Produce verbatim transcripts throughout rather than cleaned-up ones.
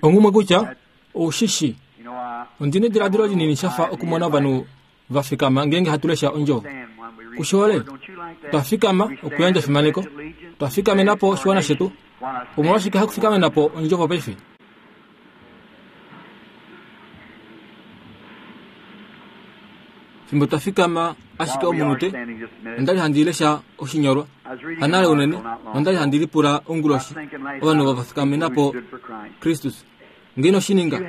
Ongumwe kutya oushishi ondine ediladilo linini shafa okumona ovanhu va fikama ngeenge hatu lesha ondjovo. Kushihole twa fikama okuyandja efimaneko, twa fikamena po oshiwana shetu. Omolwashike hakufikamena po ondjovo paife? Fimbo twa fikama ashike omunute, onda li handi lesha oshinyolwa hanale unene, nonda li handi lipula onguloshi ovanhu va fikamena po Kristus. Ngeno oshininga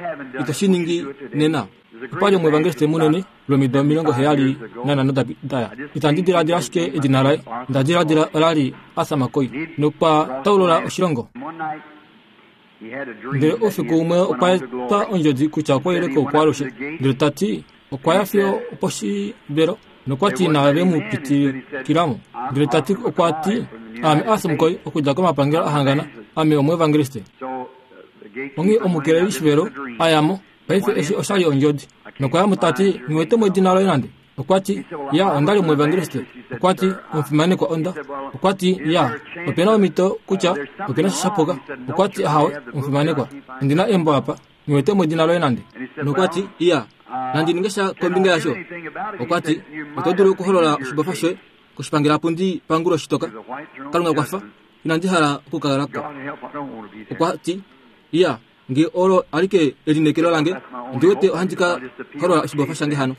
ito shi ningi nena. Opa li omuevangeliste munene lwomido omilongo heyali nanhano daya. Itandi diladila ashike edina laye, nda diladila ola li Arthur McCoy, nokwa taulula oshilongo. Ndele oufiku umwe okwa etwa ondjodi kutya okwa ile koukwalushe, ndele ta ti okwa ya fiyo oposhivelo nokwa ti inave mu pitilikilamo. Ndele ta ti okwa ti ame Arthur McCoy okudja komapangelo ahangana, ame omuevangeliste. Onghee omukeleli shivelo a ya mo. Paife eshi osha li ondjodi. Nokwa ya mo ta ti nghiwete mo edina loye nande. Okwa ti ya onda li omuevangeliste. Okwa ti omufimanekwa onda. Okwa ti ya opena omhito kutya opena sha shapuka. Okwa ti ahawe omufimanekwa ondina embo apa nghiwete mo edina loye nande. Nokwa ti ya nandi ninge sha kombinga yasho. Okwa ti oto dulu okuholola oshibofa shoye koshipangelapundi pangulo shitoka. Kalunga kwafa inandi hala okukala ko. Okwa ti ya nge olo alike elinekelo lange ndiwete ohandi ka holola oshibofa shange hano.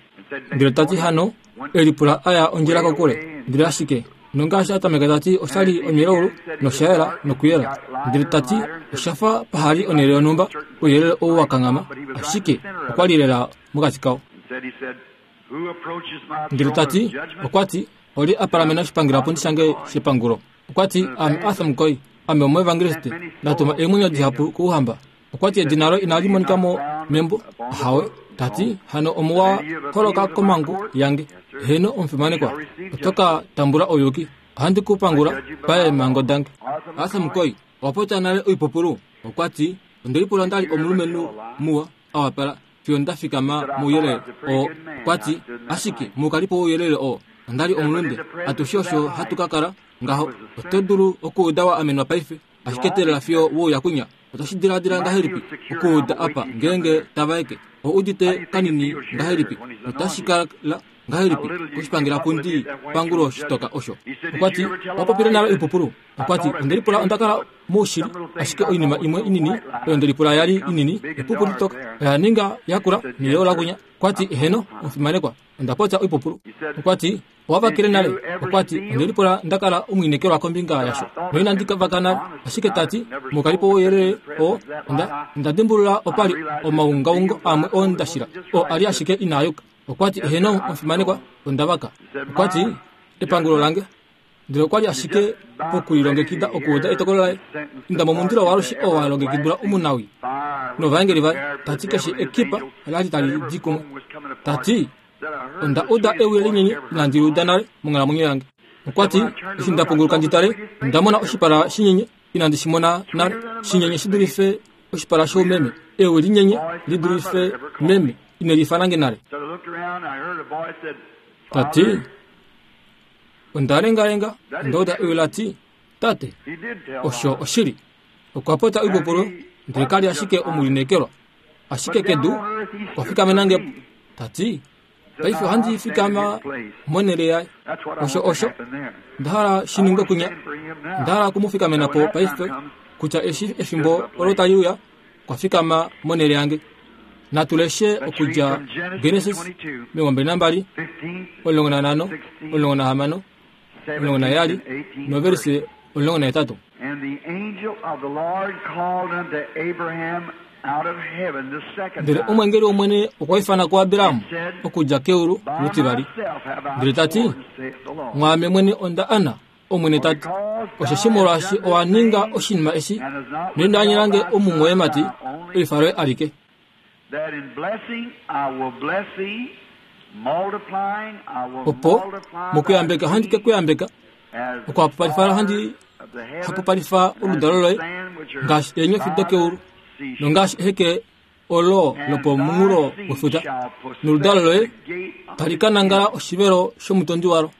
Ndele ta ti hano elipula aya ondjila kokule. Ndele ashike nongaashi a tameka ta ti osha li omilelaulu noshayela nokuyela. Ndele ta ti oshafa pahali onhele yonhumba ouyelele ou wa kanghama, ashike okwa li lela mokati kao. Ndele ta ti okwa ti oli a palamena oshipangelapundi shange shepangulo. Okwa ti ame Arthur McCoy, ame omuevangeliste, ndatuma eemwenyo dihapu kouhamba. Okwa ti edina loye inali monika mo membo. Ahawe. Ta ti hano omuwa holoka komangu yange. Heno omufimanekwa, oto ka tambula ouyuki. Ohandi ku pangula paemhango dange. Arthur McCoy owa popya nale oipupulu. Okwa ti onde lipula nda li omulumenhu muwa a wapala fiyo nda fikama mouyelele oo. Okwa ti ashike moukalipo wouyelele oo onda li omulunde. Atushe osho hatu ka kala ngaho. Oto dulu okuuda wa amenwa paife, ashike teelela fiyo wouya kunya. Otoshi diladila ngahelipi okuuda apa ngeenge tavaeke? Ou udite kanini ngahelipi? Otashi kala ngahelipi koshipangelapundi pangulo shitoka osho? Okwa ti owa popile nale oipupulu. Okwa ti onde lipula onda kala moushili, ashike oinima imwe inini oyo nde lipula yali inini epupu litoka oya ninga yakula neleyo lakunya. Okwa ti eheno omufimanekwa, onda popya oipupulu. Okwa ti owa vakele nale. Okwa ti onde lipula nda kala omwiinekelwa kombinga yasho noinandi vaka nale, ashike ta ti moukalipo wouyelele oo onda onda dimbulula opa li omaungaungo amwe oo nda shila oo ali ashike inaa yuka. Okwa ti eheno omufimanekwa, onda vaka. Okwa ti epangulo lange. Ndele okwa li ashike pokulilongekida okuuda etokolo laye. Inda momundilo waalushe oo wa longekidilwa omunawi novaengeli vaye. Ta ti keshe ekipa ola li tali di kumwe. Ta ti onda uda ewi linyenye inandi liuda nale monghalamwenyo yange. Okwa ti eshi nda punguluka ndi tale, onda mona oshipala shinyenye inandi shi mona nale, shinyenye shi dulife oshipala shoumeme, ewi linyenye li dulife meme ine liifana nge nale. Ta ti onda lengalenga, onda uda ewi la ti tate, osho oshili. Okwa popya oipupulu, ndele kali ashike omulineekelwa, ashike kedu okwa fikamena nge. Ta ti paife ohandi fikama monhele yaye. Osho osho nda hala shi ningwe kunya. Nda hala okumufikamena po paife kutya eshi efimbo olo tali uya okwa fikama monhele yange. Natu leshe okudja Genesis omilongo mbali nambali omulongo nanhano omulongo nahamano omulongo naheyali novelise omulongo nahetatu. Ndele omwengeli wOmwene okwa ifana kuAbraham okudja keulu lutivali, ndele ta ti mwaame mwene onda ana, Omwene ta ti, osheshi molwaashi owa ninga oshinima eshi noino anyela nge omumwoyemati oifa loye alike, opo mokuyambeka ohandi ke kuyambeka, okuhapupalifa ohandi hapupalifa oludalo loye ngaashi eenyofi dokeulu nongaashi eheke olo lopomunghulo wefuta, noludalo loye tali ka nangala oshivelo shomutondi walo.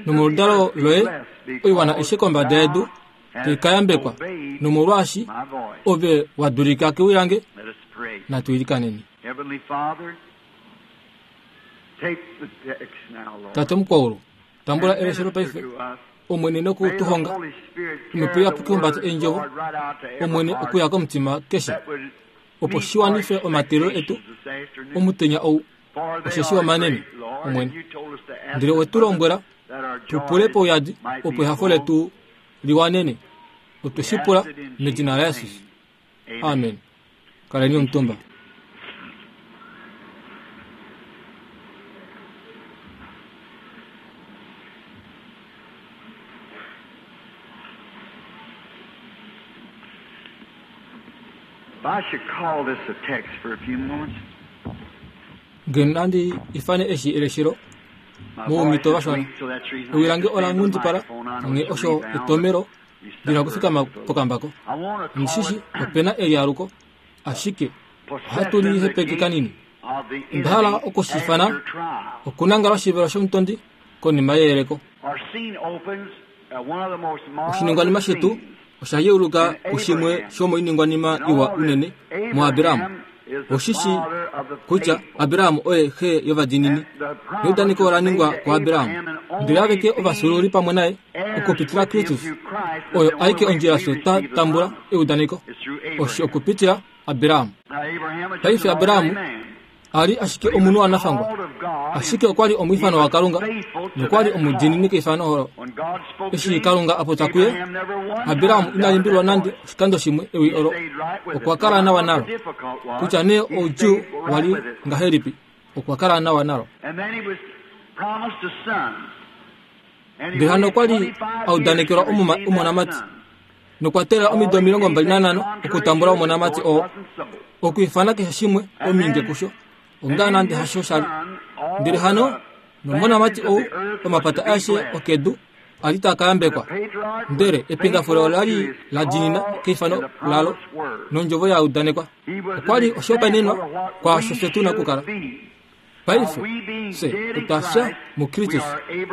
Nomoludalo loye oiwana aishe kombada yedu tai ka yambekwa nomolwaashi ove wa dulika kewi lange. Natu ilikaneni. Tate mukwaulu, tambula eleshelo paife, Omwene noku tu honga, Omhepo Iyapuki humbata eendjovo, Omwene okuya komutima keshe, opo shi wanife omateelelo etu omutenya ou, osheshi omanene, Omwene. Ndele we tu lombwela tu pule pouyadi, opo ehafo letu liwanene. Otwe shi pula medina laJesus. Amen. Kaleni omutumba. Ngeno nandi ifane eshi eleshelo moumito vashona. Ewi lange ola nghundipala, onghee osho etomelo ndina kufikama pokambako. Ndishishi opena elialuko, ashike ohatu li hepeke kanini. Onda hala okushifana okunangala oshivelo shomutondi konima yeyeleko. Oshiningwanima shetu osha yeuluka kushimwe shomoiningwanima iwa unene muAbraham. Oshishi kutya Abraham oye xe yovadiinini. Neudaneko ola ningwa kuAbraham. Ndele aveke ovafyuululi pamwe naye okupitila Kristus, oyo aike ondjila fye twa tambula eudaneko, osho okupitila Abraham. Paife Abraham ali ashike omunhu wanafangwa, ashike okwa li omwiifano waKalunga nokwa li omudiinini keifano olo. Eshi Kalunga a popya kuye, Abraham ina limbililwa nande oshikando shimwe ewi olo, okwa kala nawa nalo. Kutya nee oudjuu wa li ngahelipi, okwa kala nawa nalo. Ndele hano okwa li a udanekelwa omonamati, nokwa teelela omido omilongo mbali nanhano okutambula omonamati oo, okwiifana keshe shimwe ominge kusho, onga nande hasho shali. Ndele hano nomonamati ou omapata aeshe okedu a li taa ka yambekwa. Ndele ependafule ola li la diinina keifano lalo nondjovo ya udanekwa. Okwa li oshihopaenenwa kwaasho fye tu na okukala. Paife fye otwa fya muKristus,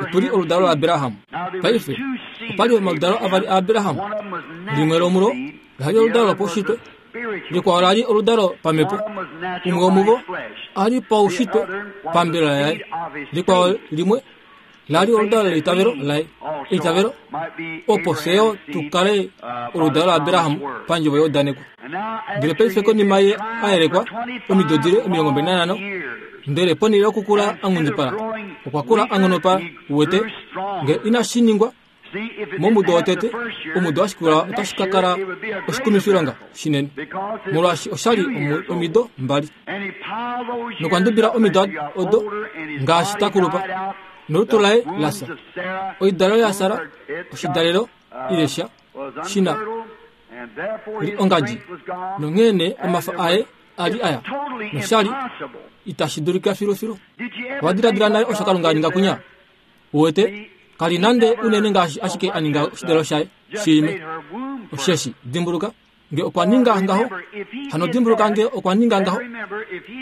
otu li oludalo laAbraham. Paife opa li omaludalo avali aAbraham, limwe lomulo la li oludalo lopaushitwe, likwao la li oludalo pamhepo. Umwe womuvo a li paushitwe pambelela yaye, likwao limwe la li oludalo leitavelo laye, eitavelo, opo fye yo tu kale oludalo laAbraham pandjovo yeudaneko. Ndele paife konima ye a yelekwa omido dile omilongo mbali nanhano, ndele ponhele yokukula a nghundipala, okwa kula a nghonopala. Uwete, ngele inashi ningwa momudo wotete, omudo wa shikula otashi ka kala oshikumifilonga shinene, molwaashi osha li omido mbali. Nokwa ndubila omido odo ngaashi ta kulupa, nolutu laye la fya. Oidalelo yaSara, oshidalelo ile sha shina li ongadji, nonghee nee omafa aye a li aya, nosha li itashi dulika filufilu. Owa diladila nale osho Kalunga a ninga kunya? Uwete, kali nande unene ngaashi ashike a ninga oshidalelo shaye shiime. Osheshi dimbuluka, nge okwa ninga ngaho, hano dimbuluka nge okwa ninga ngaho,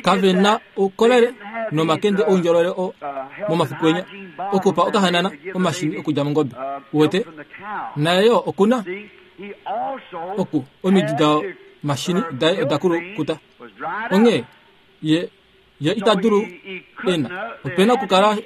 kave na oukolele nomakende oundjolowele o momafiku enya okupa okahanana omashini okudja mongobe. Uwete, naye yo okuna oku omidi da mashini daye oda kulukuta. Onghee ye ye ita dulu ena opena okukala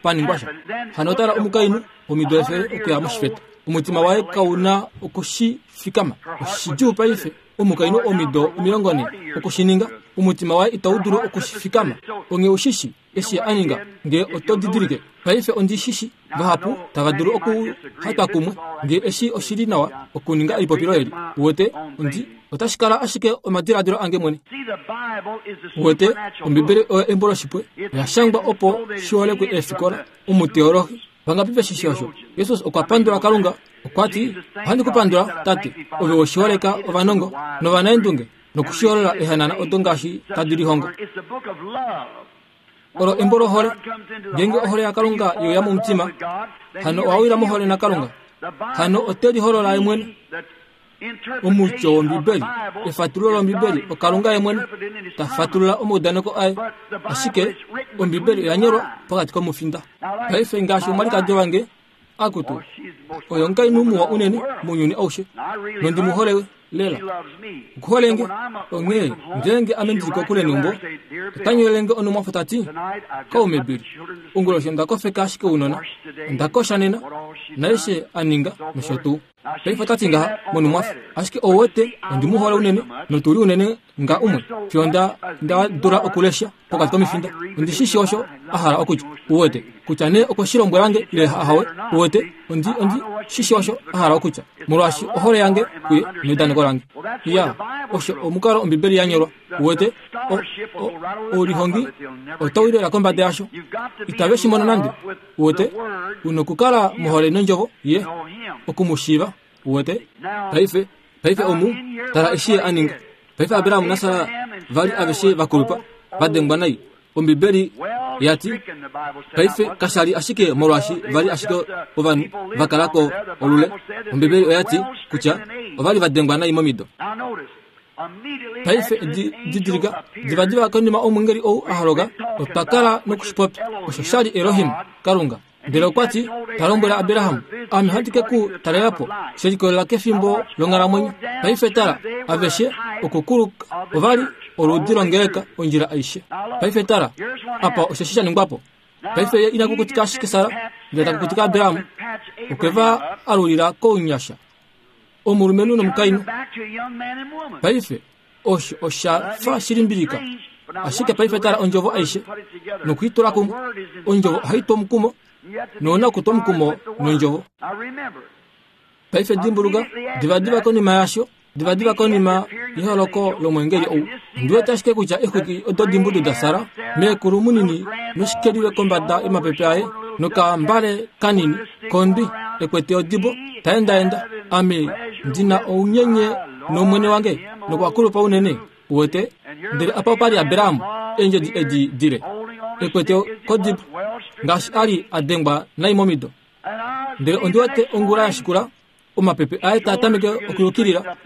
paningwa sha. Hano tala omukainhu omido efele okuya moshifeta, omutima waye kau na okushifikama. Oshidjuu paife omukainhu omido omilongo nhe okushininga, omutima waye itau dulu okushifikama. Onghee ushishi eshi a ninga, nge oto didilike. Paife ondishishi vahapu tava dulu okuhatwa kumwe nge eshi oshili nawa okuninga elipopilo eli. Uwete, ondi otashi kala ashike omadiladilo ange mwene. Uwete, Ombibeli oyo embo loshipwe, oya shangwa opo shi holekwe eefikola, omuteologi. Vangapi veshishi osho? Jesus okwa pandula Kalunga, okwa ti, ohandi ku pandula, Tate, ove weshiholeka ovanongo novanaendunge nokushiholola ehanana odo ngaashi tadi lihongo. Olo embo lohole. Ngeenge ohole yaKalunga ye uya momutima, hano owa wila mohole naKalunga. Hano ote liholola ye mwene. Omutyo wOmbibeli, efatululo lOmbibeli, oKalunga ye mwene ta fatulula omaudaneko aye. Ashike Ombibeli oya nyolwa pokati komufinda. Paife ngaashi omwalikadi wange Akutu oyo omukainhu muwa unene mounyuni aushe nondi mu hole lela. Okuholenge onghee ngeenge ame ndili kokule neumbo otanyolelenge onumwafo tati kaume Bill onguloshi onda kofeka ashike ounona onda kosha nena naeshe aninga nosho tuu. Paife otati ngaha monumwafo ashike ouwete ondi mu hole unene notuli unene nga umwe fiyo nda nda dula okulesha pokati komifinda ondi shishi osho a hala okutya uwete kutya nee okwe shi lombwelange ile ahawe uwete ondi ondi shishi osho a hala okutya molwaashi ohole yange kuye neudaneko lange. Ya osho omukalo Ombibeli ya nyolwa uwete oulihongi otau lela kombada yasho itave shi mono nande uwete unokukala mohole nondjovo ye okumushiiva uwete. Paife paife omu tala eshi ye aninga. Paife Abraham naSara vali aveshe vakulupa vadengwa nai. Ombibeli yati paife kashali ashike molwaashi vali ashike ovanhu vakalako olule. Ombibeli oyati kutya ovali vadengwa nai momido. Paife didilika divadiva konima omwengeli ou a holoka otwa kala nokushipopya osho shali Elohim Kalunga. Ndele okwati ta lombwela Abraham ame ohandi ke ku talelapo she likolelela kefimbo longhalamwenyo. Paife tala aveshe okukuluka ovali oludi longeleka ondjila aishe. Paife tala apa osho sha ningwapo. Paife ye ina kukutika ashike Sara ndele takukutika Abraham okweva alulila kounyasha omulumenhu nomukainhu. Paife osho osha fa shilimbilika ashike paife tala ondjovo aishe nokuitula kumwe. Ondjovo ohai tu omukumo nouna okutwa omukumo nondjovo. Paife dimbuluka divadiva konima yasho divadiva konima yeholoko lomwengeli ou ondiwete ashike kutya exwiki odo dimbudu daSara meekulu munini noshikeliwe kombada yomapepe aye nokambale kanini kondwi ekwete odibo taendaenda ame ndina ounyenye nomwene wange nokwakulupa unene uwete. Ndele apa opali Abraham eendjedi edi dile ekwete kodibo ngaashi ali adengwa nai momido. Ndele ondiwete ongula ya shikula omapepe aye taa tameke okuyukilila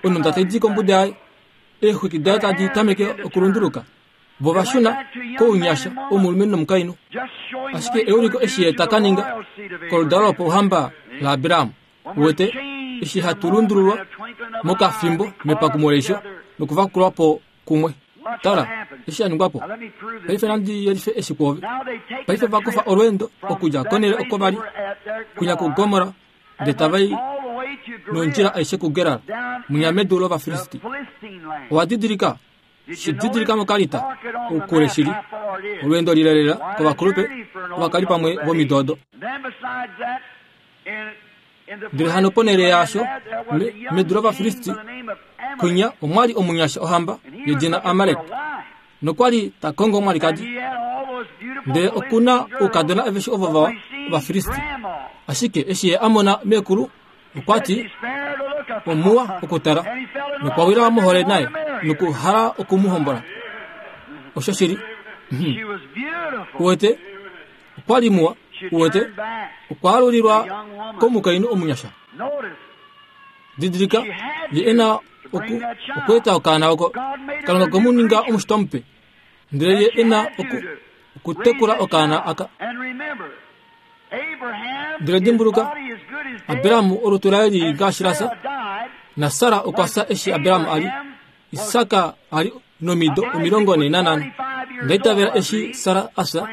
onunda taidi kombuda yaye eexwiki daye tadi tameke okulunduluka vo vashuna kounyasha omulumenhu nomukainhu. Ashike euliko eshi ye taka ninga koludalo lopouhamba laAbraham uwete eshi hatu lundululwa mokafimbo mepakumo leisho nokuvakulwapo kumwe. Tala eshi aningwapo. Paife nandi yelife eshi kwoove. Paife vakufa olweendo okudja konele oko vali kunya kuGomora ndele tavai nondjila aishe kuGerar munya medu lOvafilisti. Owa didilika shididilika mokalita oukule shili olweendo lilelela kovakulupe ovakali pamwe vomido odo. Ndele hano ponele yasho medu lOvafilisti kunya omwali omunyasha ohamba yedina Amalek nokwali ta kongo omwalikadi. Ndele okuna oukadona aveshe ovo vawa Ovafilisti. Ashike eshi ye amona meekulu okwati omuwa okutala nokwawila mohole naye nokuhala okumuhombola. Osho shili uwete okwali muwa uwete okwaalulilwa komukainhu omunyasha. Didilika ye ena oku okweeta okaana oko Kalunga komuninga omushitwa mupe ndele ye ena oku okutekula okaana aka. Ndele dimbuluka Abraham olutu laye lili ngaashi lasa na Sara okwa fya eshi Abraham ali Isaka ali nomido omilongo ne nanhano. Ndaitavela eshi Sara afya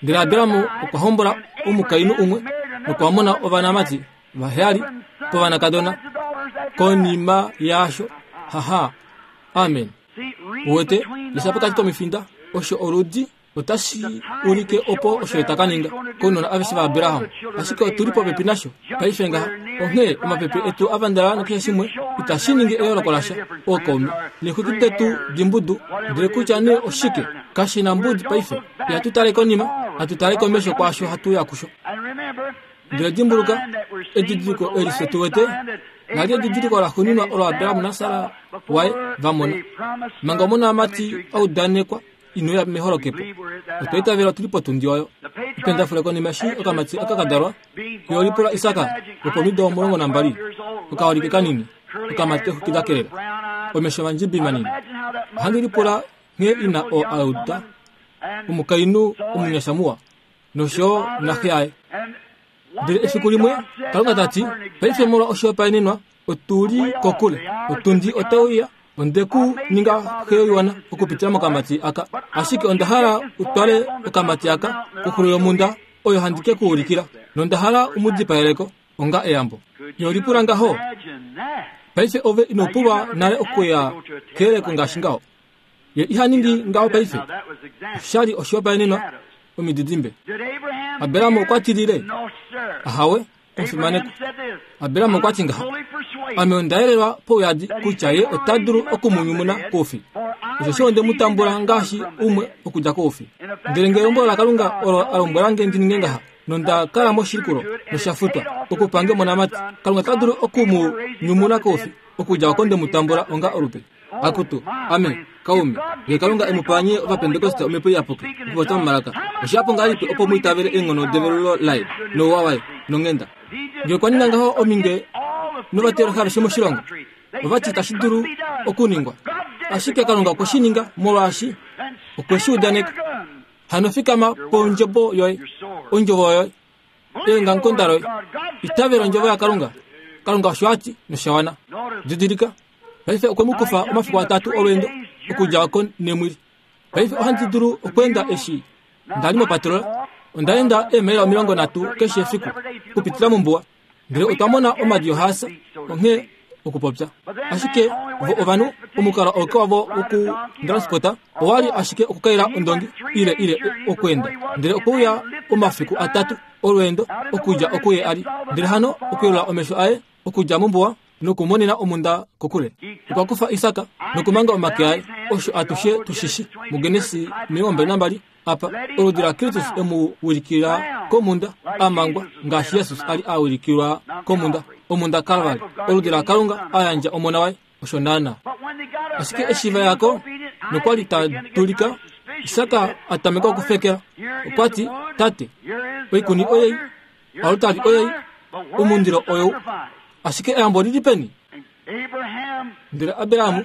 ndele Abraham okwa hombola omukainhu umwe nokwa mona ovanamati vaheyali povanakadona konima yasho. Haha, amen. Uwete lesha pokati komifinda osho oludi otashi ulike opo osho taka ninga kounona aveshe vaAbraham. Ashike otuli popepi nasho paife ngaha onghee omapepe etu avandala nokeshe shimwe itashi ningi eyooloko lasha ookaume neexwiki detu dimbudu ndele kutya nee oshike kashi na mbudi paife. Ihatu tale konima hatu tale komesho kwaasho hatu ya kusho. Ndele dimbuluka edidiliko eli fye tu wete nali edidiliko laxuuninwa olo Abraham naSara waye vamona manga omonamati audanekwa inoya meholokepo. Otwa itavela tuli potundi oyo. Ependafule konima eshi okamati aka kadalwa yolipula Isaka lopomido omulongo nambali okaholike kanini okamati exwiki dakelela omesho mandjibi manini. Ohandi lipula nghee ina oo auda omukainhu omunyasha muwa nosho naxe yaye. Ndele efiku limwe Kalunga tati, paife molwa oshihopaenenwa otuli kokule, otundi otauya, onde ku ninga xe yoiwana okupitila mokamati aka, ashike onda hala utwale okamati aka koxulo yomhunda oyo handi ke ku ulikila, nonda hala umudipaeleko onga eyambo. Yo lipula ngaho, paife ove ino pulwa nale okuya keyeleko ngaashi ngaho. Ye iha ningi ngaho paife. Oshali oshihopaenenwa omididimbe. Abraham okwa tilile, ahawe, omufimaneko. Abraham okwa ti ngaha, ame onda yelelwa pouyadi kutya ye ota dulu okumunyumuna koufi. Osho onde mu tambula ngaashi umwe okudja koufi. Ndele ngele elombwelo laKalunga olo a lombwela nge ndi ninge ngaha, nonda kala moshilikulo noshafutwa okupange omonamati, Kalunga ota dulu okumu nyumuna koufi okudja oko nde mu tambula onga olupe. Akutu, ame, kaume, nge Kalunga e mu pa nye Ovapentekoste omhepo iyapuki okupopya momalaka, oshihapu ngahelipi opo mu itavele eenghono develulo laye nouwa waye nonghenda. Nge okwa ninga ngaho ominge novateologi aveshe moshilongo, ovati itashi dulu okuningwa. Ashike Kalunga okwe shi ninga molwaashi okwe shi udaneka. Hano fikama pondjobo yoye, ondjovo yoye, eongamukonda loye, itavela ondjovo yaKalunga. Kalunga osho a ti nosha wana. Didilika, paife okwe mu kufa omafiku atatu olweendo okudja oko nemwili. Paife ohandi dulu okweenda eshi nda li mopatrola, onda enda eemaila omilongo nhatu keshe efiku okupitila mombuwa, ndele otwa mona omadi ohaasa, onghee okupopya. Ashike vo ovanhu, omukalo auke wavo wokutransporta owali ashike okukaila ondongi ile ile okweenda, ndele okweuya omafiku atatu olweendo okudja okuye ali, ndele hano okuyelula omesho aye okudja mombuwa nokumonena omhunda kokule. Okwa kufa Isak nokumanga omake aye, osho atushe tushishi muGenesi omilongo mbali nambali apa oludi laKristus emu wilikila komhunda a mangwa ngaashi Jesus ali a wilikilwa komhunda, omhunda Kalvari, oludi laKalunga a yandja omona waye, osho naana. Ashike eshi va yako nokwali ta dulika, Isak a tameka okufekela. Okwa ti, tate, oikuni oyei, oaltari oyei, omundilo oyou, ashike eyambo lili peni? Ndele Abraham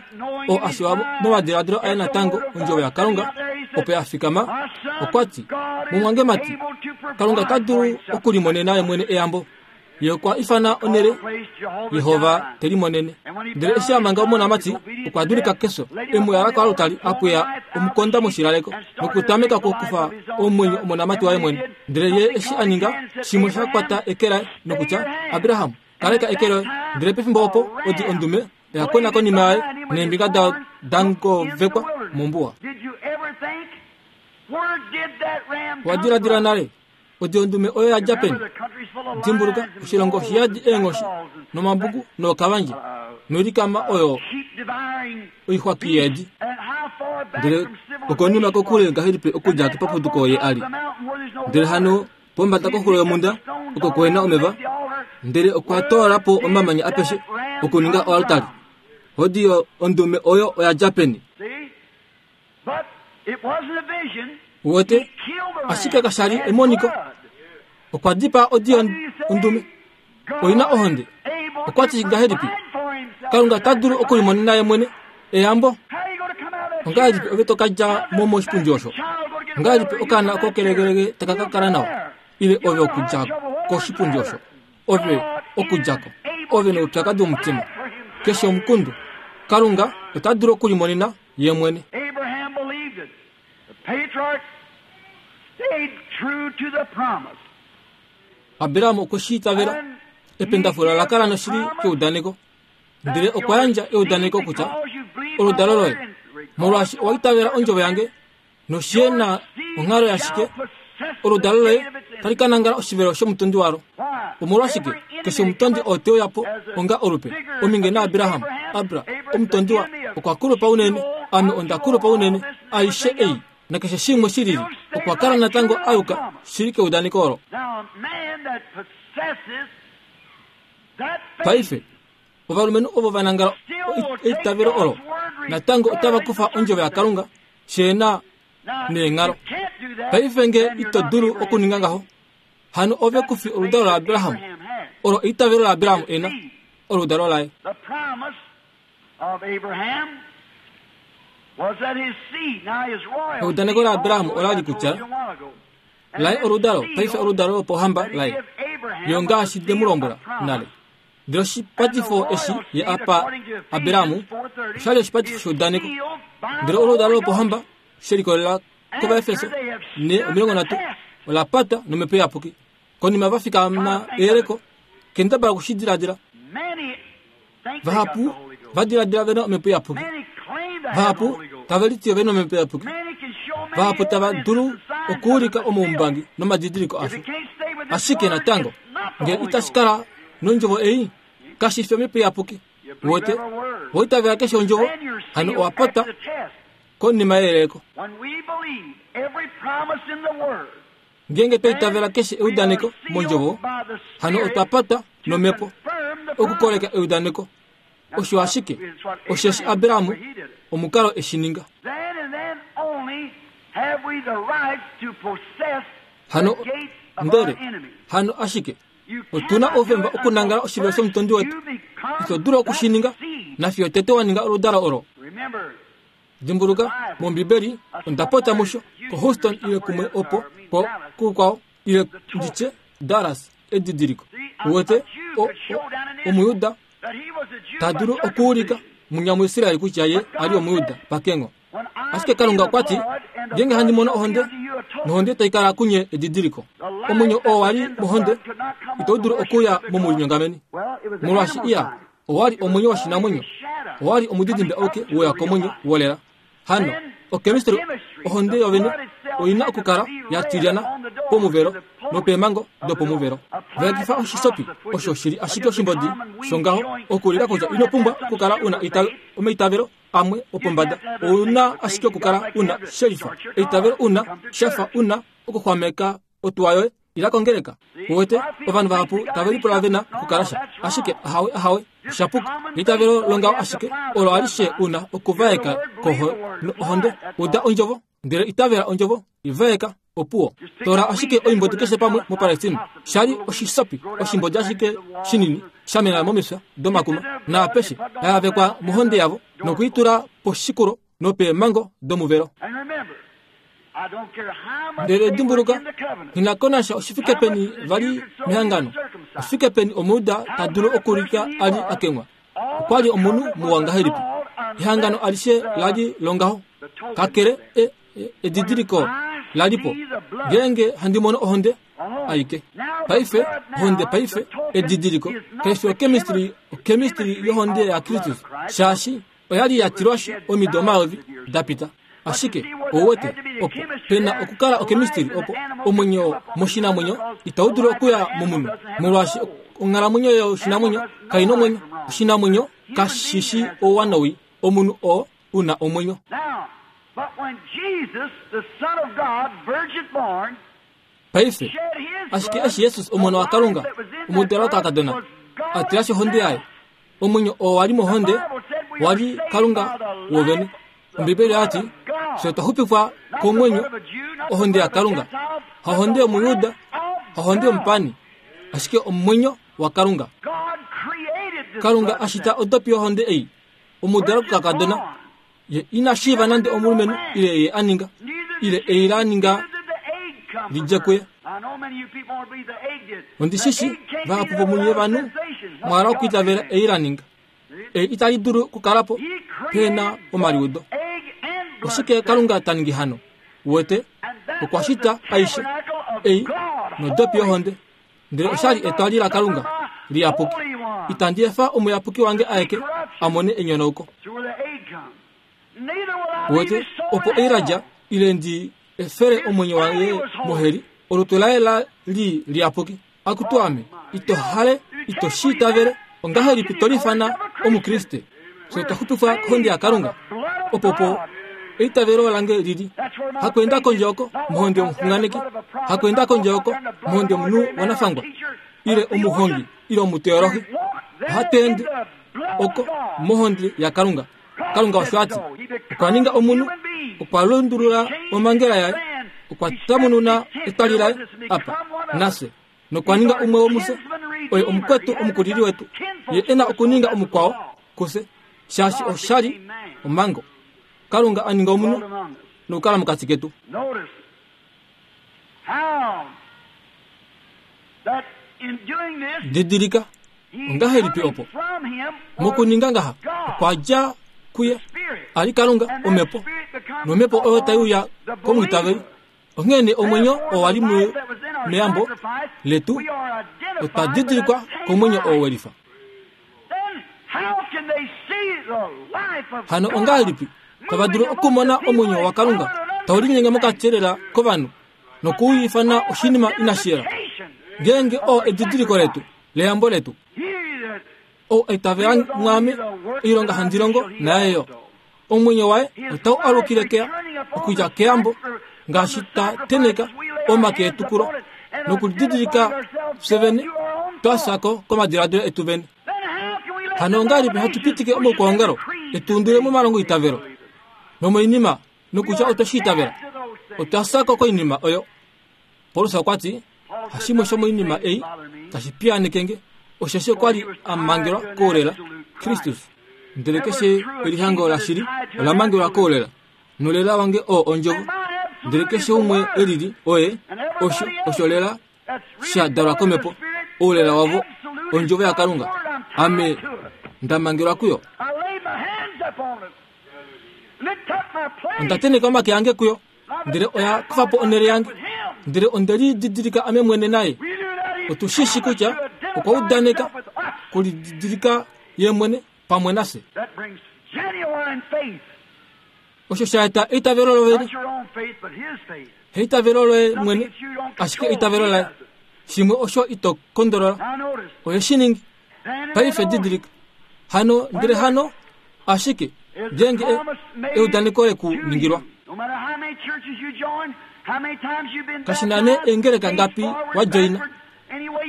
oo a shiwa momadiladilo aye natango ondjovo yaKalunga opo ya fikama, okwa ti, mumwangemati, Kalunga ota dulu okulimonena ye mwene eyambo. Ye okwa ifana onhele Yehova te limonene. Ndele eshi a manga omonamati, okwa dulika kefyo, e mu yala koaltari a pweya omukonda moshilaleko nokutameka okukufa omwenyo omonamati waye mwene. Ndele ye eshi a ninga shimwe sha kwata eke laye nokutya, Abraham, kaleka eke loye. Ndele pefimbo opo odi ondume oya kwena konima yaye neembinga dayo dangovekwa mombuwa. Owa diladila nale odi ondume oyo ya dja peni? Dimbuluka, oshilongo oshiyadi eenghoshi nomambuku nookavandje noilikama oyo oixwaki yeedi. Ndele okonima kokule ngahelipi okudja kepapuduko ye ali. Ndele hano pombada koxulo yomhunda oko kuhena omeva, ndele okwa toola po omamanya apeshe okuninga oaltari. Odi ondume oyo oya dja peni? Uwete, ashike kasha li emoniko. Okwa dipaa odi ondume oina ohonde. Okwa ti ngahelipi? Kalunga ota dulu okulimonena ye mwene eyambo. Ongahelipi ove to ka dja mo moshipundi osho? Ongahelipi okaana oko kelegelege taka ka kala nawa? Ile ove okudja koshipundi osho? Ove okudja ko. Ove noupyakadi womutima. Keshe omukundu. Kalunga ota dulu okulimonena ye mwene. Abraham okwe shi itavela. Ependafula la kala noshili keudaneko. Ndele okwa yandja eudaneko kutya oludalo loye, molwaashi owa itavela ondjovo yange noshe na onghalo yashike, oludalo loye tali ka nangala oshivelo shomutondi walo. Omolwashike keshe omutondi oo te uya po onga olupe ominge naAbraham, Abra, omutondi wa okwa kulupa unene, ame onda kulupa unene, aishe ei nakeshe shimwe shi lili, okwa kala natango a yuka shili keudaneko olo. Paife ovalumenhu ovo va nangala eitavelo olo natango otava kufa ondjovo yaKalunga sheena neenghalo. Paife nge ito dulu okuninga ngaho, hano ove kufi oludalo laAbraham olo eitavelo laAbraham ena, oludalo laye. Eudaneko laAbraham ola li kutya laye oludalo, paife oludalo lopohamba laye. Yo ngaashi ndemulombwela nale. Ndele oshipatifo eshi ye apa Abrahamu oshali oshipatifo sheudaneko. Ndele oludalo lopohamba she likolelela kOvaefeso ne omilongo nhatu ola patwa nomhepo iyapuki. Konima va fikama eyeleko, kendabala okushidiladila. Vahapu va diladila vena omhepo iyapuki. Vahapu tave liti vena omhepo iyapuki. Vahapu tava dulu okuulika omaumbangi nomadidiliko asho. Ashike natango ngele itashi kala nondjovo ei, kashi fi omhepo iyapuki. Wote woitavela keshe ondjovo, hano owa patwa konima yeyeleko. Ngeenge twa itavela keshe eudaneko mondjovo, hano otwa patwa nomhepo okukoleka eudaneko. Osho ashike osheshi Abrahamu omukalo eshi ninga. Hano ndele hano ashike otuna oufemba okunangala oshivelo shomutondi wetu. Ito dulu okushininga nafiyo tete wa ninga oludalo olo. Dimbuluka mOmbibeli onda pota musho ko Houston ile kumwe opo po kukwao ile nditye Dallas edidiliko. Uwete omuyuda ta dulu okuulika munyamuisraeli kutya ye ali omuyuda pakengo. Ashike Kalunga okwa ti, ngeenge handi mono ohonde, nohonde tai kala kunye edidiliko. Omwenyo oo wali mohonde ito dulu okuya momulinyongameni. Molwaashi iya owali omwenyo woshinamwenyo, owali omudidimbe auke woya komwenyo wolela. Hano okemistry ohonde yovene oina okukala ya tilyana pomuvelo nopeemhango dopomuvelo. Vaekifa oshisopi osho shili ashike oshimbodi shongaho okulila kutya ino pumbwa okukala una omaitavelo amwe opombada. Ouna ashike okukala una shelifa eitavelo una shafa una okuxwameka otuwa yoye ila kongeleka. Uwete ovanhu vahapu tave lipula vena okukala sha, ashike ahawe ahawe oshapuka. Eitavelo longaho ashike olo alishe una okuvaeka koho ohonde. Uda ondjovo ndele itavela ondjovo, ivaeka opuwo. Tola ashike oimbodi keshe pamwe moPalestina. Shali oshisopi oshimbodi ashike shinini shamena momifya domakuma naapeshe yavekwa mohonde yavo nokuitula poshikulo nopeemhango domuvelo. Ndele dimbuluka, nghi oshifike peni vali mehangano, oshifike peni omuyuda ta dulu okulika ali akengwa. Okwali omunhu muwa ngahelipi. Ehangano alishe lali longaho kakele e, e, edidiliko lalipo. Ngeenge handi mono ohonde aike paife ohonde paife edidiliko kaifi okemistry okemistry yohonde ya Kristus, shaashi oyali ya tilwashi omido omayovi dapita. Ashike ouwete opo pena okukala okemistry opo omwenyo moshinamwenyo itau dulu okuya momunhu, molwaashi onghalamwenyo yoshinamwenyo kaina omwenyo. Oshinamwenyo kashishi ouwanawi, omunhu oo una omwenyo. Paife ashike eshi Jesus omwana waKalunga omudalwa kakadona atilashi ohonde yaye, omwenyo oo wali mohonde wali Kalunga wovene. Ombibeli yati fye otwa xupifwa komwenyo ohonde yaKalunga, hahonde yomuyuda, hahonde yomupani, ashike omwenyo waKalunga. Kalunga ashita odopi yohonde ei omudalwa kakadona ye ina shiiva nande omulumenhu ile ye aninga ile ei la ninga lidje kuye. Ondishishi vahapu vomunye vanhu mwala okuitavela ei la ninga. Ei itali dulu okukalapo pena omaliudo. Oshike Kalunga ta ningi hano? Uwete okwa shita aishe ei nodopi yohonde. Ndele oshali etwali laKalunga liyapuki. Itandi efa omuyapuki wange aeke a mone enyonauko. Uwete opo ei ladja ile ndi efele omwenyo waye moheli, olutu laye la li liyapuki. Akutu ame, ito hale, ito shiitavele, ongahelipi to lifana omukriste? Fye otwa xupifwa kohonde yaKalunga. Opopo eitavelo lange lili. Hakuenda kondje oko mohonde yomuxunganeki, hakuenda kondje oko mohonde yomunhu wanafangwa ile omuhongi ile omuteolohi. Ohatu ende oko mohonde yaKalunga. Kalunga osho ati okwa ninga omunhu, okwa lundulula omangela yaye, okwa tamununa etwali laye apa nafye, nokwa ninga umwe womufye. Oye omukwetu omukulili wetu, ye ena okuninga omukwao kufye, shaashi oshali omhango. Kalunga a ninga omunhu nokukala mokati ketu. Didilika ongahelipi opo mokuninga ngaha okwa dja kuye ali Kalunga omhepo, nomhepo oyo tai uya komwiitaveli. Onghene omwenyo oo wali meyambo letu otwa didilikwa komwenyo oo welifa. Hano ongahelipi tava dulu okumona omwenyo waKalunga tau linyenge mokati lela kovanhu nokuuyifana oshinima inashi yela, ngeenge oo edidiliko letu leyambo letu? Ou aitavela mwaame, oilonga handi longo naye yo. Omwenyo waye otau alukile keya okudja keyambo ngaashi ta teneka omake etu kulo nokulididilika fye vene twasako komadiladilo etu vene. Hano ongahelipi hatu pitike omaukwaongalo etu undule momalongo itavelo nomoinima nokutya otwe shi itavela? Otwa sako koinima oyo. Paulus okwa ti hashimwe shomoinima ei tashi piyaaneke osheshi okwa li a mangelwa koulela Kristus. Ndele keshe elihango lashili ola mangelwa koulela, nolela wange oo ondjovo. Ndele keshe umwe elili oye osho osho lela sha dalwa komhepo, oulela wavo ondjovo yaKalunga. Ame ndamangelwa kuyo. Onda teneka omake ange kuyo, ndele oya kufa po onhele yange, ndele onde lididilika ame mwene naye. Otu shishi kutya okwa udaneka kulididilika ye mwene pamwe nafye. Osho sha eta eitavelo lovene, eitavelo loye mwene, ashike eitavelo laye shimwe osho ito kondolola. Oye shi ningi paife didilika hano, ndele hano ashike ngeenge eudaneko leku ningilwa. Kashi na nee eengeleka ngapi wa joina,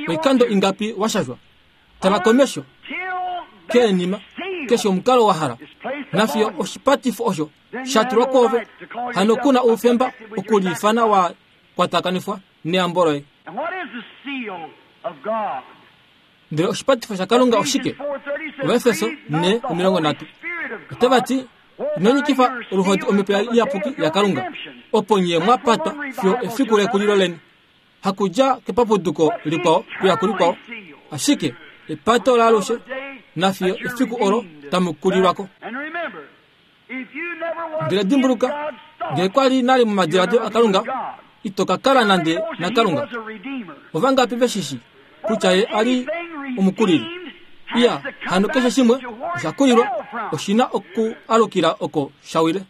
oikando ingapi wa shashwa, tala komesho keenima keshe omukalo wa hala, nafiyo oshipatifo osho sha tulwa kwoove. Hano kuna oufemba okuliifana wa kwatakanifwa neyambo loye. Ndele oshipatifo shaKalunga oshike? Ovaefeso ne omilongo nhatu otava ti ino nyikifa oluhodi omhepo iyapuki yaKalunga, opo nye mwa patwa fiyo efiku lekulilo leni. Hakudja kepapuduko likwao kuya kulikwao, ashike epato laalushe nafiyo efiku olo tamu kulilwako. Ndele dimbuluka, ngee kwali nale momadiladilo aKalunga, ito ka kala nande naKalunga. Ovangapi veshishi kutya ye ali omukulili? Iya, hano keshe shimwe osha kulilwa oshina oku alukila oko shawile.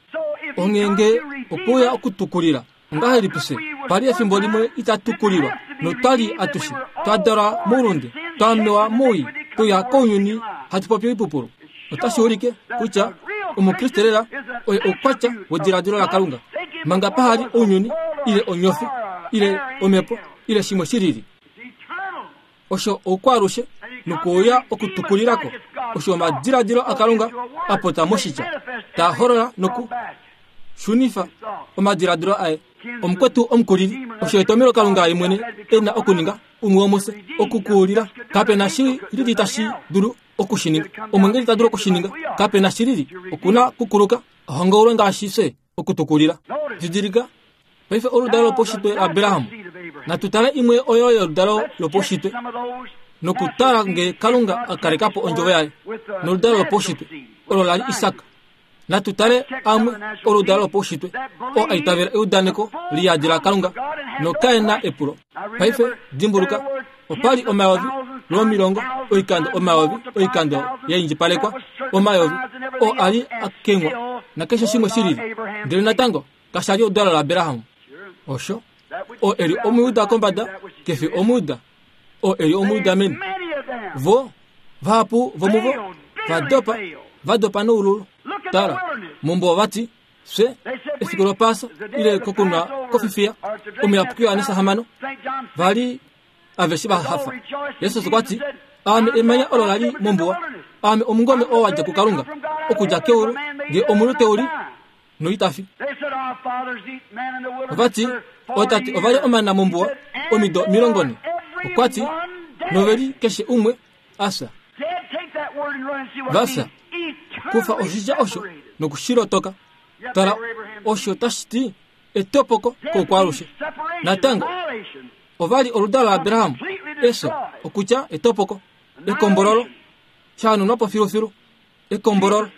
Onghenge okuya okutukulila ongahelipi fye pali efimbo limwe itatukulilwa notwali atushe twadalwa moulunde, twamewa moui, tuya kounyuni hatu popi oipupulu. Otashi ulike kutya omukriste lela oye oukwatya wediladilo laKalunga, manga pahali ounyuni ile onyofi ile omhepo ile shimwe shilili. Osho oukwaalushe nokuuya okutukulilako osho omadiladilo aKalunga apota moshitya taa holola noku shunifa omadiladilo aye. Omukwetu omukulili osho etomelo Kalunga ye mwene e na okuninga umwe womufye okukuulila. Kape na shi lili tashi dulu okushininga, omwengeli ta dulu okushininga, kape na shi lili okuna kukuluka ohongaulwe ngaashi fye okutukulila. Didilika paife oludalo lopaushitwe laAbraham. Natu tale imwe oyo yoludalo lopaushitwe nokutala nge Kalunga a kaleka po ondjovo yaye noludalo lopaushitwe olo lali Isak. Natu tale amwe oludalo lopaushitwe oo aitavela eudaneko liyadi laKalunga nokae na epulo. Paife dimbuluka, opali omayovi lwomilongo oikando omayovi oikando yaindjipalekwa omayovi oo ali akengwa nakeshe shimwe shilili, ndele natango kashali oludalo laAbraham. Osho oo eli omuyuda kombada kefi omuyuda, oo eli omuyuda meni. Vo vahapu vomuvo vadopa vadopa noululu. Tala mombo vati fye efiku lopasa ile kokunwa kofifiya omuyapuki Yohanesa hamano vali aveshe vahafa. Jesus okwa ti aame emanya olo lali mombuwa, aame omungome oo wadja kuKalunga okudja keulu, nge omunhu teuli noitafi. Ovati otate ovali omana mombuwa omido omilongo nhe. Okwa ti noveli keshe umwe afya. Vafya kufa oshitya osho nokushilotoka. Tala osho tashi ti etopoko koukwaalushe. Natango ovali oludalo laAbraham, eso Okutya etopoko, ekombololo, sha po filufilu, ekombololo.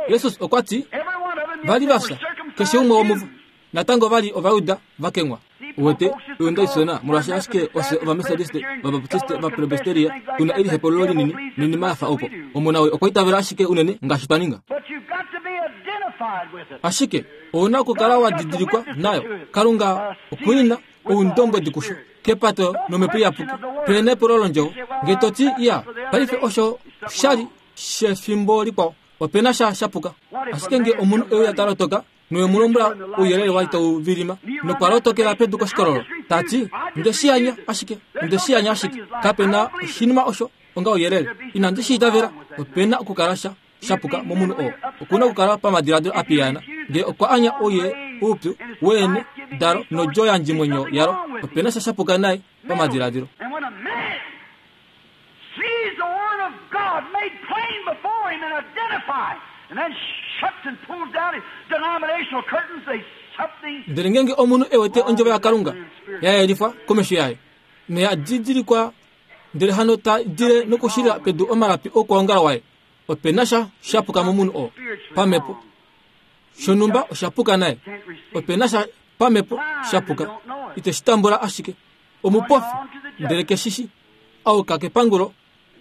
Jesus okwa ti vali va fya, keshe umwe womuvo. Natango vali Ovayuda va kengwa. Uwete onda isona molwaashi ashike ofye Ovamethodiste, Ovabaptiste, Ovapresbyteria tuna elihepolo linini noinima ya fa opo. Omona we okwa itavela ashike unene ngaashi twa ninga. Ashike ouna okukala wa didilikwa nayo. Kalunga okuina oundombwedi kusho kepato nomhepo iyapuki. Pene epulo londjovo nge to ti iya paife osho shali shefimbo likwao opena sha shapuka. Ashike nge omunhu euya ta lotoka nowe mu lombwela ouyelele wali tau vilima nokwa lotokela pedu koshikololo tati nde shi anya ashike nde shi anya ashike kapena oshinima osho onga ouyelele inandi shi itavela. Opena okukala sha shapuka momunhu oo okuna okukala pamadiladilo apiyana nge okwa anya ouye uupyu weene dalo nodjo yandjimwenyo yalo opena sha shapuka naye pamadiladilo. Ndele ngenge omunhu ewete ondjovo yaKalunga ya yelifwa komesho yaye noya didilikwa ndele hano ta dile nokushila pedu omalapi okwoongala waye opena sha shapuka momunhu oo pamhepo shonhumba oshapuka naye. Opena sha pamhepo shapuka ite shi tambula ashike omupofi ndele keshishi auka kepangulo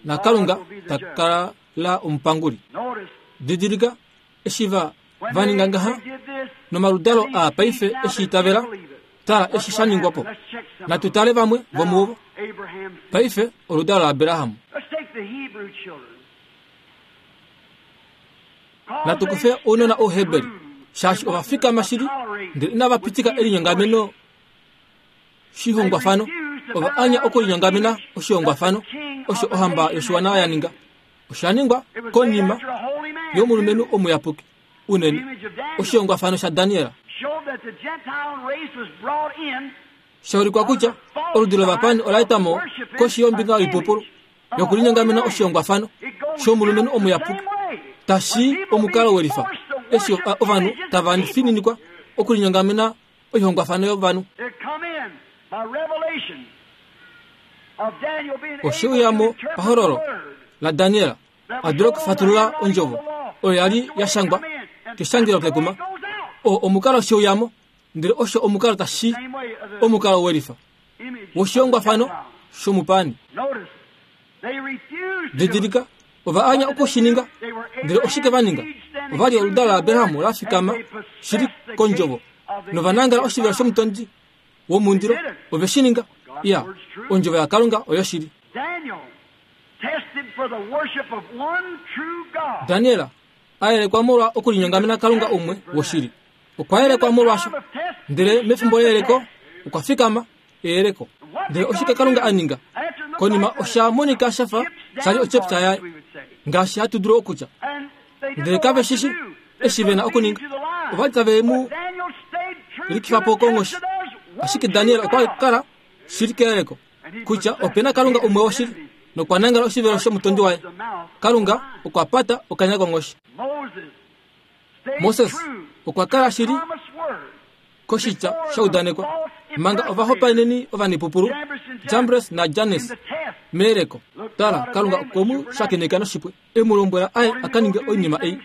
naKalunga ta kala omupanguli. Didilika eshi va vaninga ngaha nomaludalo aa paife eshi itavela tala eshi sha ningwa po. Natu tale vamwe vomuvo. Paife oludalo laAbraham. Natu kufe ounona Ouheberi shaashi ova fikama shili ndele inava pitika elinyongameno shihongwafano. Ova anya okulinyongamena oshihongwafano osho ohamba yoshiwana ya ninga. Osha ningwa konima yomulumenhu omuyapuki unene oshihongwafano shaDaniel. Shaulikwa kutya oludi lovapani ola eta mo koshi yombinga yoipupulu yokulinyongamena oshihongwafano shomulumenhu omuyapuki tashi omukalo welifa eshi ovanhu tava fininikwa okulinyongamena oihongwafano yovanhu. Osheuyamo pahololo laDaniel a dula okufatulula ondjovo oyo yali ya shangwa keshangelo kekuma. O omukalo sheuyamo ndele osho omukalo tashi omukalo welifa woshihongwafano shomupani. Didilika ova anya okushininga ndele oshike va ninga? Ova li oludalo laAbraham la fikama shili kondjovo nova nangala oshivelo shomutondi womundilo. Ove shi ninga. Iya, ondjovo yaKalunga oyo shili. Daniel a yelekwa molwa okulinyongamena Kalunga umwe woshili. Okwa yelekwa molwasho ndele mefimbo leyeleko okwa fikama eyeleko. Ndele oshike Kalunga a ninga? Konima osha monika shafa shali ochepta yaye ngaashi hatu dulu okutya. Ndele kave shishi eshi vena okuninga. Ova li tave mu likifa po konghoshi. Ashike Daniel okwa kala shili keyeleko kutya opena Kalunga umwe woshili nokwa nangala oshivelo shomutondi waye. Kalunga okwa pata okanya konghoshi. Moses okwa kala shili koshitya shaudanekwa manga ovahopaeneni ovanipupulu Jambres naJanes meyeleko. Tala, Kalunga okwe mu shakeneka noshipwe e mu lombwela aye aka ninge oinima ei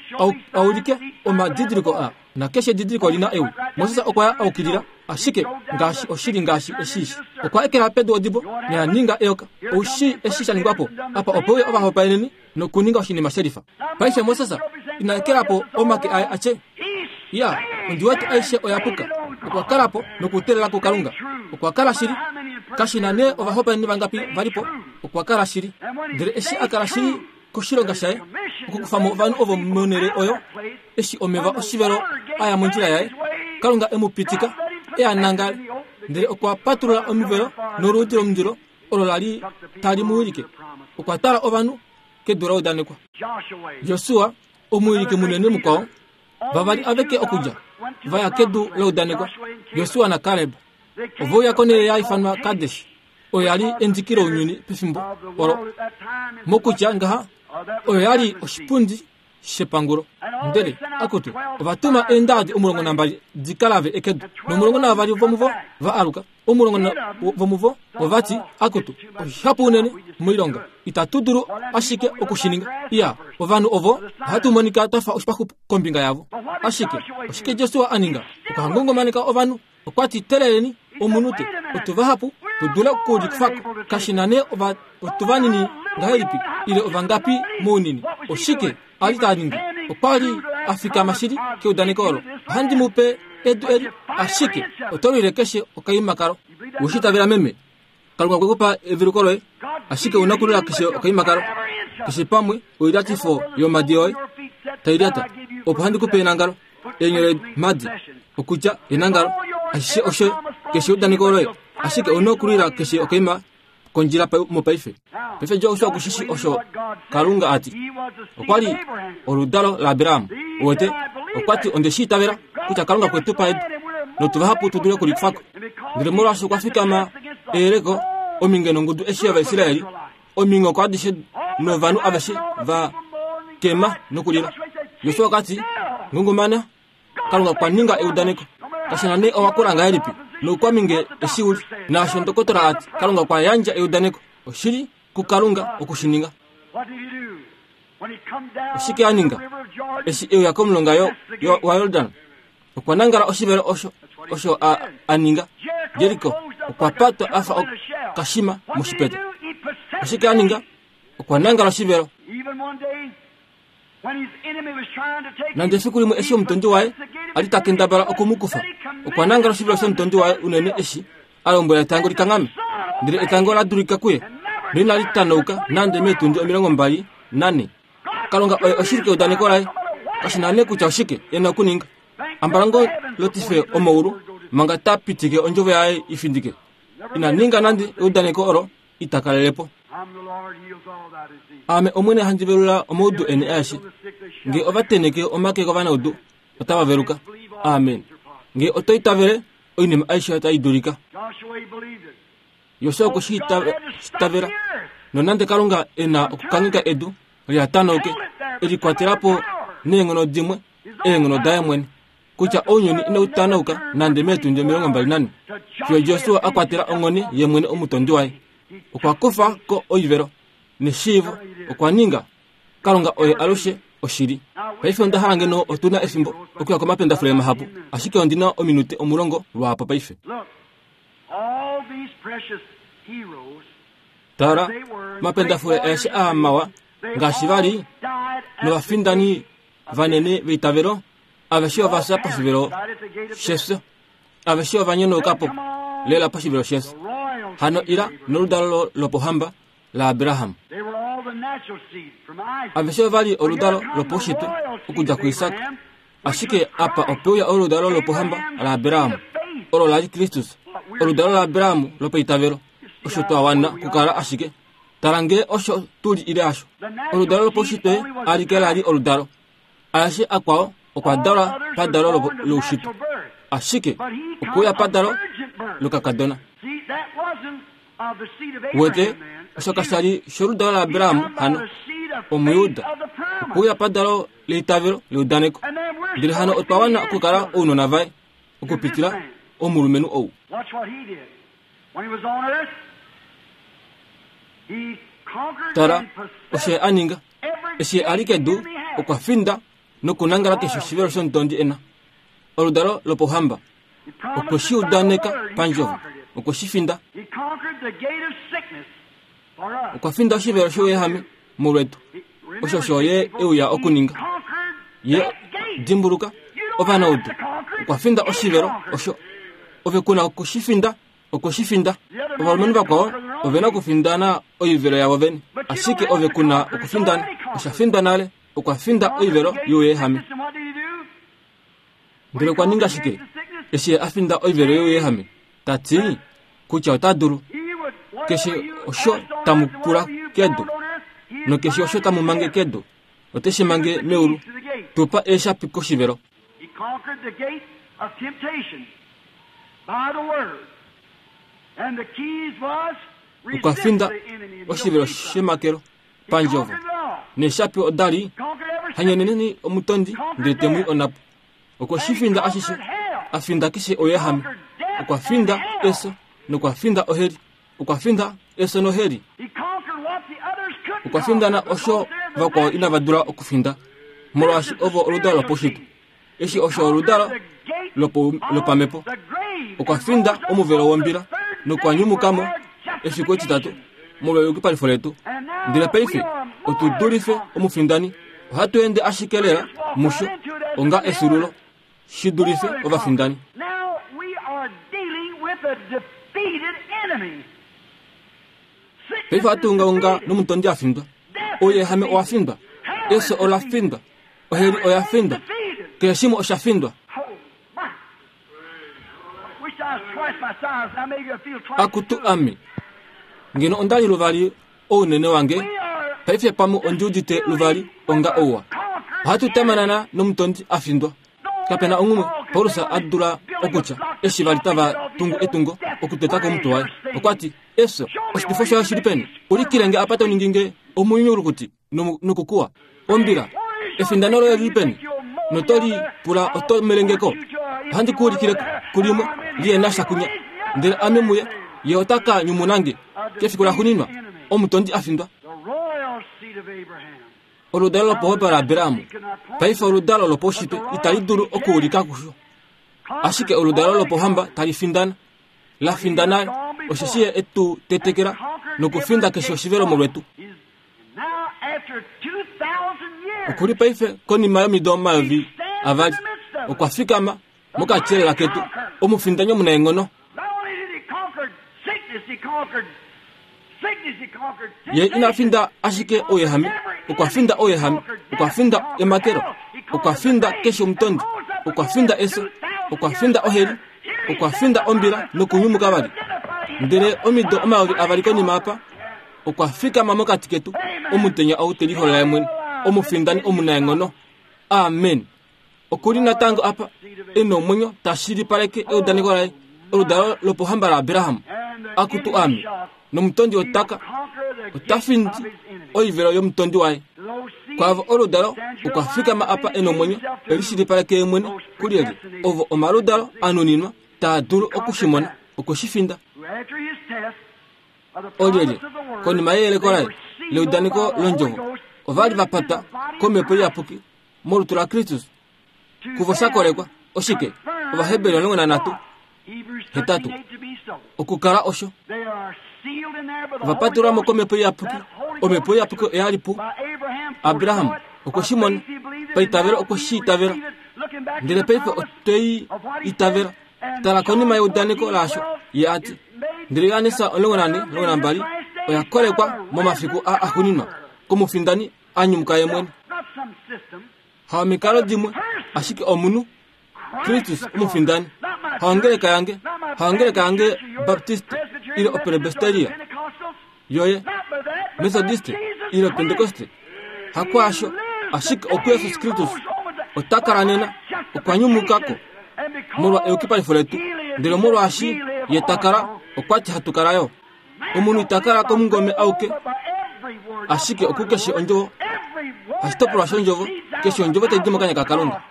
aulike omadidiliko a nakeshe edidiliko lina ewi. Moses okwa ya aukilila ashike ngaashi oshili ngaashi eshishi. Okwa ekela pedu odibo noya ninga eyoka. Oushi eshi sha ningwa po apa opo uya ovahopaeneni nokuninga oshinima shelifa. Paife Moses ina ekela po omake aye atye iya ondi wete aishe oya puka. Okwa kala po nokutelela kuKalunga. Okwa kala shili kashina nee ovahopaeneni vangapi valipo. Okwa kala shili ndele eshi a kala shili koshilonga shaye okukufa mo ovanhu ovo monhele oyo eshi omeva oshivelo aya mondjila yaye Kalunga e mu pitika e a nangale ndele okwa patulula omivelo noluudi lomundilo olo lali tali mu wilike. Okwa tala ovanhu kedu la udanekwa. Josua omuwiliki munene mukwao vavali aveke okudja vaya kedu la udanekwa. Josua naKaleb ove uya konhele ya ifanwa Kadesh oyo yali endiki lounyuni pefimbo olo mokutya ngaha oyo yali oshipundi shepangulo. Ndele akutu ovatuma eendadi omulongo nambali dikalave ekedu nomulongo navavali vomuvo va aluka. Omulongo vomuvo ovati akutu oshihapu unene moilonga. Itatu dulu ashike okushininga. Iya, ovanhu ovo ohatu monika twafa oshipaxu kombinga yavo. Ashike oshike Josua a ninga? Okwa ngongomaneka ovanhu. Okwa ti teleleni omunute, otu vahapu tu dule okulikufako. Kashi na nee ova otu vanini ngahelipi ile ovangapi mounini. Oshike a li ta ningi? Okwa li a fikama shili keudaneko olo. Ohandi mu pe edu eli, ashike oto lwile keshe okaima kalo. Ushitavela meme, Kalunga okwe ku pa eveluko loye, ashike una kulwila keshe okaima kalo. Keshe pamwe oilyatifo yomadi yoye tai lyata, opo handi ku pe enangalo, eenyole madi, okutya enangalo, ashishe osho keshe eudaneko loye, ashike una okulwila keshe okaima kondjila mopaife. Paife Josua okushishi osho Kalunga ati. Okwa li oludalo laAbraham. Uwete, okwa ti onde shi itavela kutya Kalunga kwe tu pa edu, notu vahapu tu dule okulikufako. Ndele molwaashi okwa fikama eyeleko ominge nongudu eshi yOvaisraeli, ominghoko adishe novanhu aveshe va kema nokulila. Josua okwa ti, ngungumana, Kalunga okwa ninga eudaneko. Kashi na nee owa kula ngahelipi, noukwaminge eshi uli, naasho ndokotola ati, Kalunga okwa yandja eudaneko. Oshili kuKalunga okushininga. Oshike a ninga? Eshi e uya komulonga yo, yo, waJordan, okwa nangala oshivelo osho, osho a, a ninga. Jeriko okwa patwa a fa okashima moshipeta. Oshike a ninga? Okwa nangala oshivelo. Nande efiku limwe eshi omutondi waye a li ta kendabala oku mu kufa, okwa nangala oshivelo shomutondi waye unene eshi a lombwela etango li kanghame. Ndele etango la dulika kuye, noinali tanauka nande meetundi omilongo mbali nane. Kalunga oye oshili keudaneko laye. Kashi na nee kutya oshike e na okuninga. Ambalango lotife omaulu manga ta pitike ondjovo yaye i findike. Ina ninga nande eudaneko olo ita kalele po. Ame Omwene handi velula omaudu eni aeshe. Nge ova teneke omake kovanaudu, otava veluka. Amen. Nge oto itavele, oinima aishe otai dulika. Josua okwe shi itavela. Nonande Kalunga e na okukangheka edu lihatanauke, e likwatela po neenghono dimwe, eenghono daye mwene, kutya ounyuni inau tanauka nande meetundi omilongo mbali nane, fiyo Josua a kwatela onghone ye mwene omutondi waye. Okwa kufa ko oivelo neshiivo, okwa ninga Kalunga oye alushe oshili. Paife onda hala ngeno otu na efimbo okuya komapendafule mahapu, ashike ondi na ominute omulongo lwaapo paife. Tala, omapendafule aeshe aa mawa ngaashi va li novafindani vanene veitavelo, aveshe ova fya poshivelo shefyo. Aveshe ova nyonauka po lela poshivelo shefyo. Hano ila noludalo lopohamba laAbraham. Aveshe ova li oludalo lopaushitwe okudja kuIsak, ashike apa ope uya oludalo lopohamba laAbraham, olo la li Kristus, oludalo laAbraham lopaitavelo. Osho twa wana kukala ashike. Tala ngee osho tu li ile hasho. Oludalo lopaushitwe alike la li oludalo. Aeshe akwao okwa dalwa padalo loushitwe, ashike okwe uya padalo lokakadona. Uwete, osho kasha li sholudalo laAbraham hano, Omujuda, okwe uya padalo leitavelo leudaneko. Ndele hano otwa wana okukala ounona vaye okupitila omulumenhu ou. Tala osho ye a ninga. Eshi ye a li kedu, okwa finda nokunangala keshe oshivelo shomutondi e na. Oludalo lopouhamba. Okwe shi udaneka pandjovo. Okwe shi finda. Okwa finda oshivelo shouyehame molwetu. Osho osho ye e uya okuninga. Ye, dimbuluka, ovanaudu. Okwa finda oshivelo osho. Ove ku na oku shi finda. Okwe shi finda. Ovalumenhu vakwao ove na okufindana oivelo yavo vene, ashike ove ku na okufindana. Osha findwa nale. Okwa finda oivelo youyehame. Ndele okwa ninga shike eshi ye a finda oivelo youyehame? Ta ti kutya ota dulu keshe osho tamu pula kedu nokeshe osho tamu mange kedu, ote shi mange meulu. Tu pa eeshapi koshivelo. Okwa finda oshivelo shemakelo pandjovo, neeshapi oda li hanyeneneni omutondi ndele te mu i onhapo. Okwe shi finda ashishe, a finda keshe ouyehame. Okwa finda efyo nokwa finda oheli. Okwa finda efyo noheli. Okwa findana osho vakwao inava dula okufinda, molwaashi ovo oludalo lopaushitwe. Eshi osho oludalo lopamhepo. Okwa finda omuvelo wombila nokwa nyumuka mo efiku etitatu molwa eyukipalifo letu. Ndele paife otu dulife omufindani. Ohatu ende ashike lela musho onga efyuululo shi dulife ovafindani. Paife ohatu ungaunga nomutondi a findwa. Ouyehame owa findwa, efyo ola findwa, oheli oya findwa, keshe shimwe osha findwa. Akutu ame, ngeno onda li luvali ounene wange, paife pamwe ondi udite luvali onga ouwa. Ohatu tamanana nomutondi a findwa. Kapena onghumwe Paulus a dula okutya eshi vali tava tungu etungo okuteta komutwe waye. Okwa ti, efyo, oshitifo shayo shili peni? Ulikile nge apa to ningi nge omunyulukuti nokukuwa. Ombila, efindano loye lili peni? Noto li pula oto melengeko. Ohandi ku ulikile kulimwe liye na sha kunya. Ndele ame muye, ye ota ka nyumuna nge kefiku laxuuninwa, omutondi a findwa. Oludalo lopohopa laAbraham paife oludalo lopaushitwe itali dulu okuulika kusho, ashike oludalo lopohamba tali findana, la findana, osheshi ye etu tetekela nokufinda keshe oshivelo molwetu. Okuli paife konima yomido omayovi avali okwa fikama mokatyelela ketu, omufindani omunaenghono. Ye ina finda ashike ouyehame, okwa finda ouyehame, okwa finda emakelo, okwa finda keshe omutondi, okwa finda efyo, okwa finda oheli, okwa finda ombila nokunyumuka vali. Ndele omido omayovi avali konima apa, okwa fikama mokati ketu, omutenya ou te liholola ye mwene, omufindani omunaenghono. Amen. Okuli natango apa e nomwenyo ta shilipaleke eudaneko laye, oludalo lopohamba laAbraham. Akutu ame, nomutondi otaka ota findi oivelo yomutondi waye. Kwaavo oludalo okwa fikama apa e nomwenyo e lishilipaleke ye mwene kulyelye, ovo omaludalo a nuninwa taa dulu okushimona, okushifinda. Olyelye, konima yeyeleko laye leudaneko londjovo, ova li va patwa komhepo iyapuki molutu laKristus, kuvo sha kolekwa. Oshike? Ovaheberi omulongo nanhatu hetatu okukala osho. Ova patulwa mo komhepo iyapuki. Omhepo iyapuki oya li pu Abraham, okwe shi mona paitavelo, okwe shi itavela. Ndele paife otwe itavela. Tala konima yeudaneko laasho ye a ti. Ndele Johannes omulongo nane omulongo nambali oya kolekwa momafiku a axuuninwa komufindani a nyumuka ye mwene. Haomikalo dimwe, ashike omunhu, Kristus omufindani. Haongeleka yange, haongeleka yange Baptiste ile oPresbyteria yoye, Methodiste ile Pentekoste, hakwaasho, ashike okuJesus Kristus ota kala nena, okwa nyumuka ko molwa eyukipalifo letu, ndele molwaashi ye ta kala, okwa ti hatu kala yo. Omunhu ita kala komungome auke, ashike okukeshe ondjovo, hashitopolwa shondjovo, keshe ondjovo tai di mokanya kaKalunga.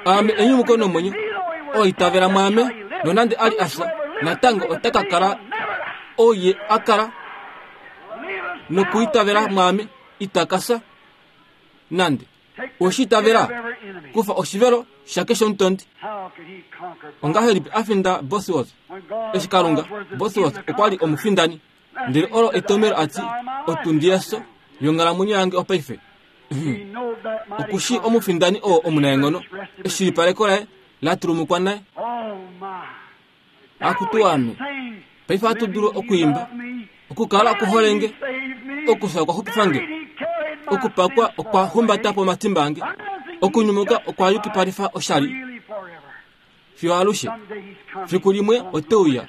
Aame enyumuko nomwenyo, oo itavela mwaame, nonande a li a fya, natango ota ka kala oye a kala nokuitavela mwaame ita ka fya nande. Oshi itavela, kufa oshivelo shakeshe omutondi. Ongahelipi a finda Bosworth? Eshi Kalunga, Bosworth okwa li omufindani, ndele olo etomelo a ti otundi yefyo yonghalamwenyo yange opaife. Okushi omufindani oo omunaenghono, eshilipaleko laye la tulumukwa naye. Akutu ame, paife ohatu dulu okwiimba, okukala okuholenge, okufya okwa xupifa nge, okupakwa okwa humbata po omatimba ange, okunyumuka okwa yukipalifa oshali fiyo alushe. Fiku limwe ote uya,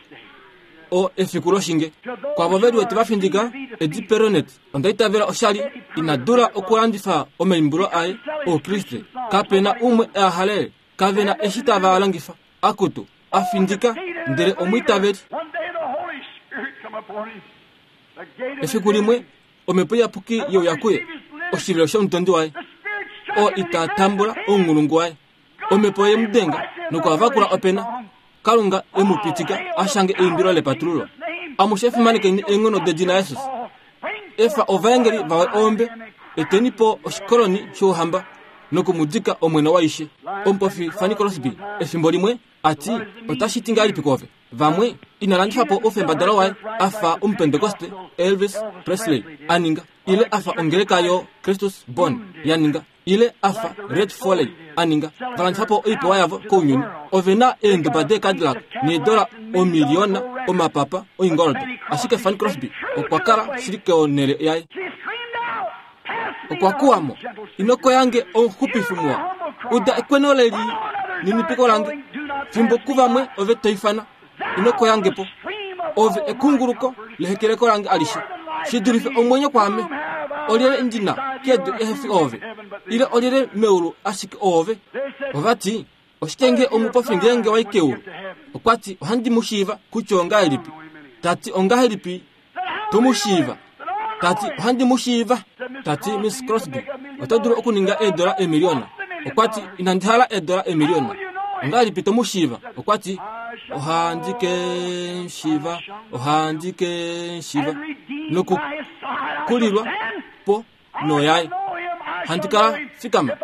o efiku loshinge. Kwavo ve liwete va findika, Edi Peronet, onda itavela oshali ina dula okulandifa omaimbulo aye Oukriste. Kape na umwe e a halele, kave na eshi tava longifa. Akutu, a findika, ndele omwiitaveli. Efiku limwe omhepo iyapuki yeuya kuye, oshivelo shomutondi waye, oo ita tambula ounghulungu waye. Omhepo ye mu denga nokuhavakula opena. Kalunga e mu pitika a shange eimbilo lepatululo. Amushe fimanekeni eenghono dedina Jesus. Efa ovaengeli vawe ombe, eteni po oshikoloni shouhamba nokumudika omwene waishe. Omupofi Fanny Crosby efimbo limwe ati otashi ti ngahelipi koove? Vamwe ina landifa po oufembadalo waye afa omupentekoste Elvis Presley aninga, ile afa ongeleka yo Christus Born yaninga, ile afa Red Foley aninga. Valandifa po oipewa yavo kounyuni. Ove na eenduba deeCadillac needola omiliona omapapa oingoldo. Ashike Fanny Crosby okwa kala shili konhele yaye. Okwa kuwamo, inoko yange omuxupifi muwa, uda ekweno leli ninipiko lange, fimbo kuvamwe ove toifana, inoko yange po, ove ekunguluko lehekeleko lange alishe, shi dulife omwenyo kwaame, olyele ndina kedu ehefi ove, ile olyele meulu ashike ove. Ovati, oshike nge omupofi ngeenge wai keulu? Okwati, ohandi mu shiiva kutya ongahelipi? Tati, ongahelipi to mu shiiva? Tati, ohandi mu shiiva. Tati, Miss Crosby, oto dulu okuninga eedola emiliona. Okwati, inandi hala eedola emiliona. Ongahelipi to mu shiiva? Okwati, ohandi ke shiiva, ohandi ke shiiva. Nokukulilwa po noyaye. Handi kala fikama.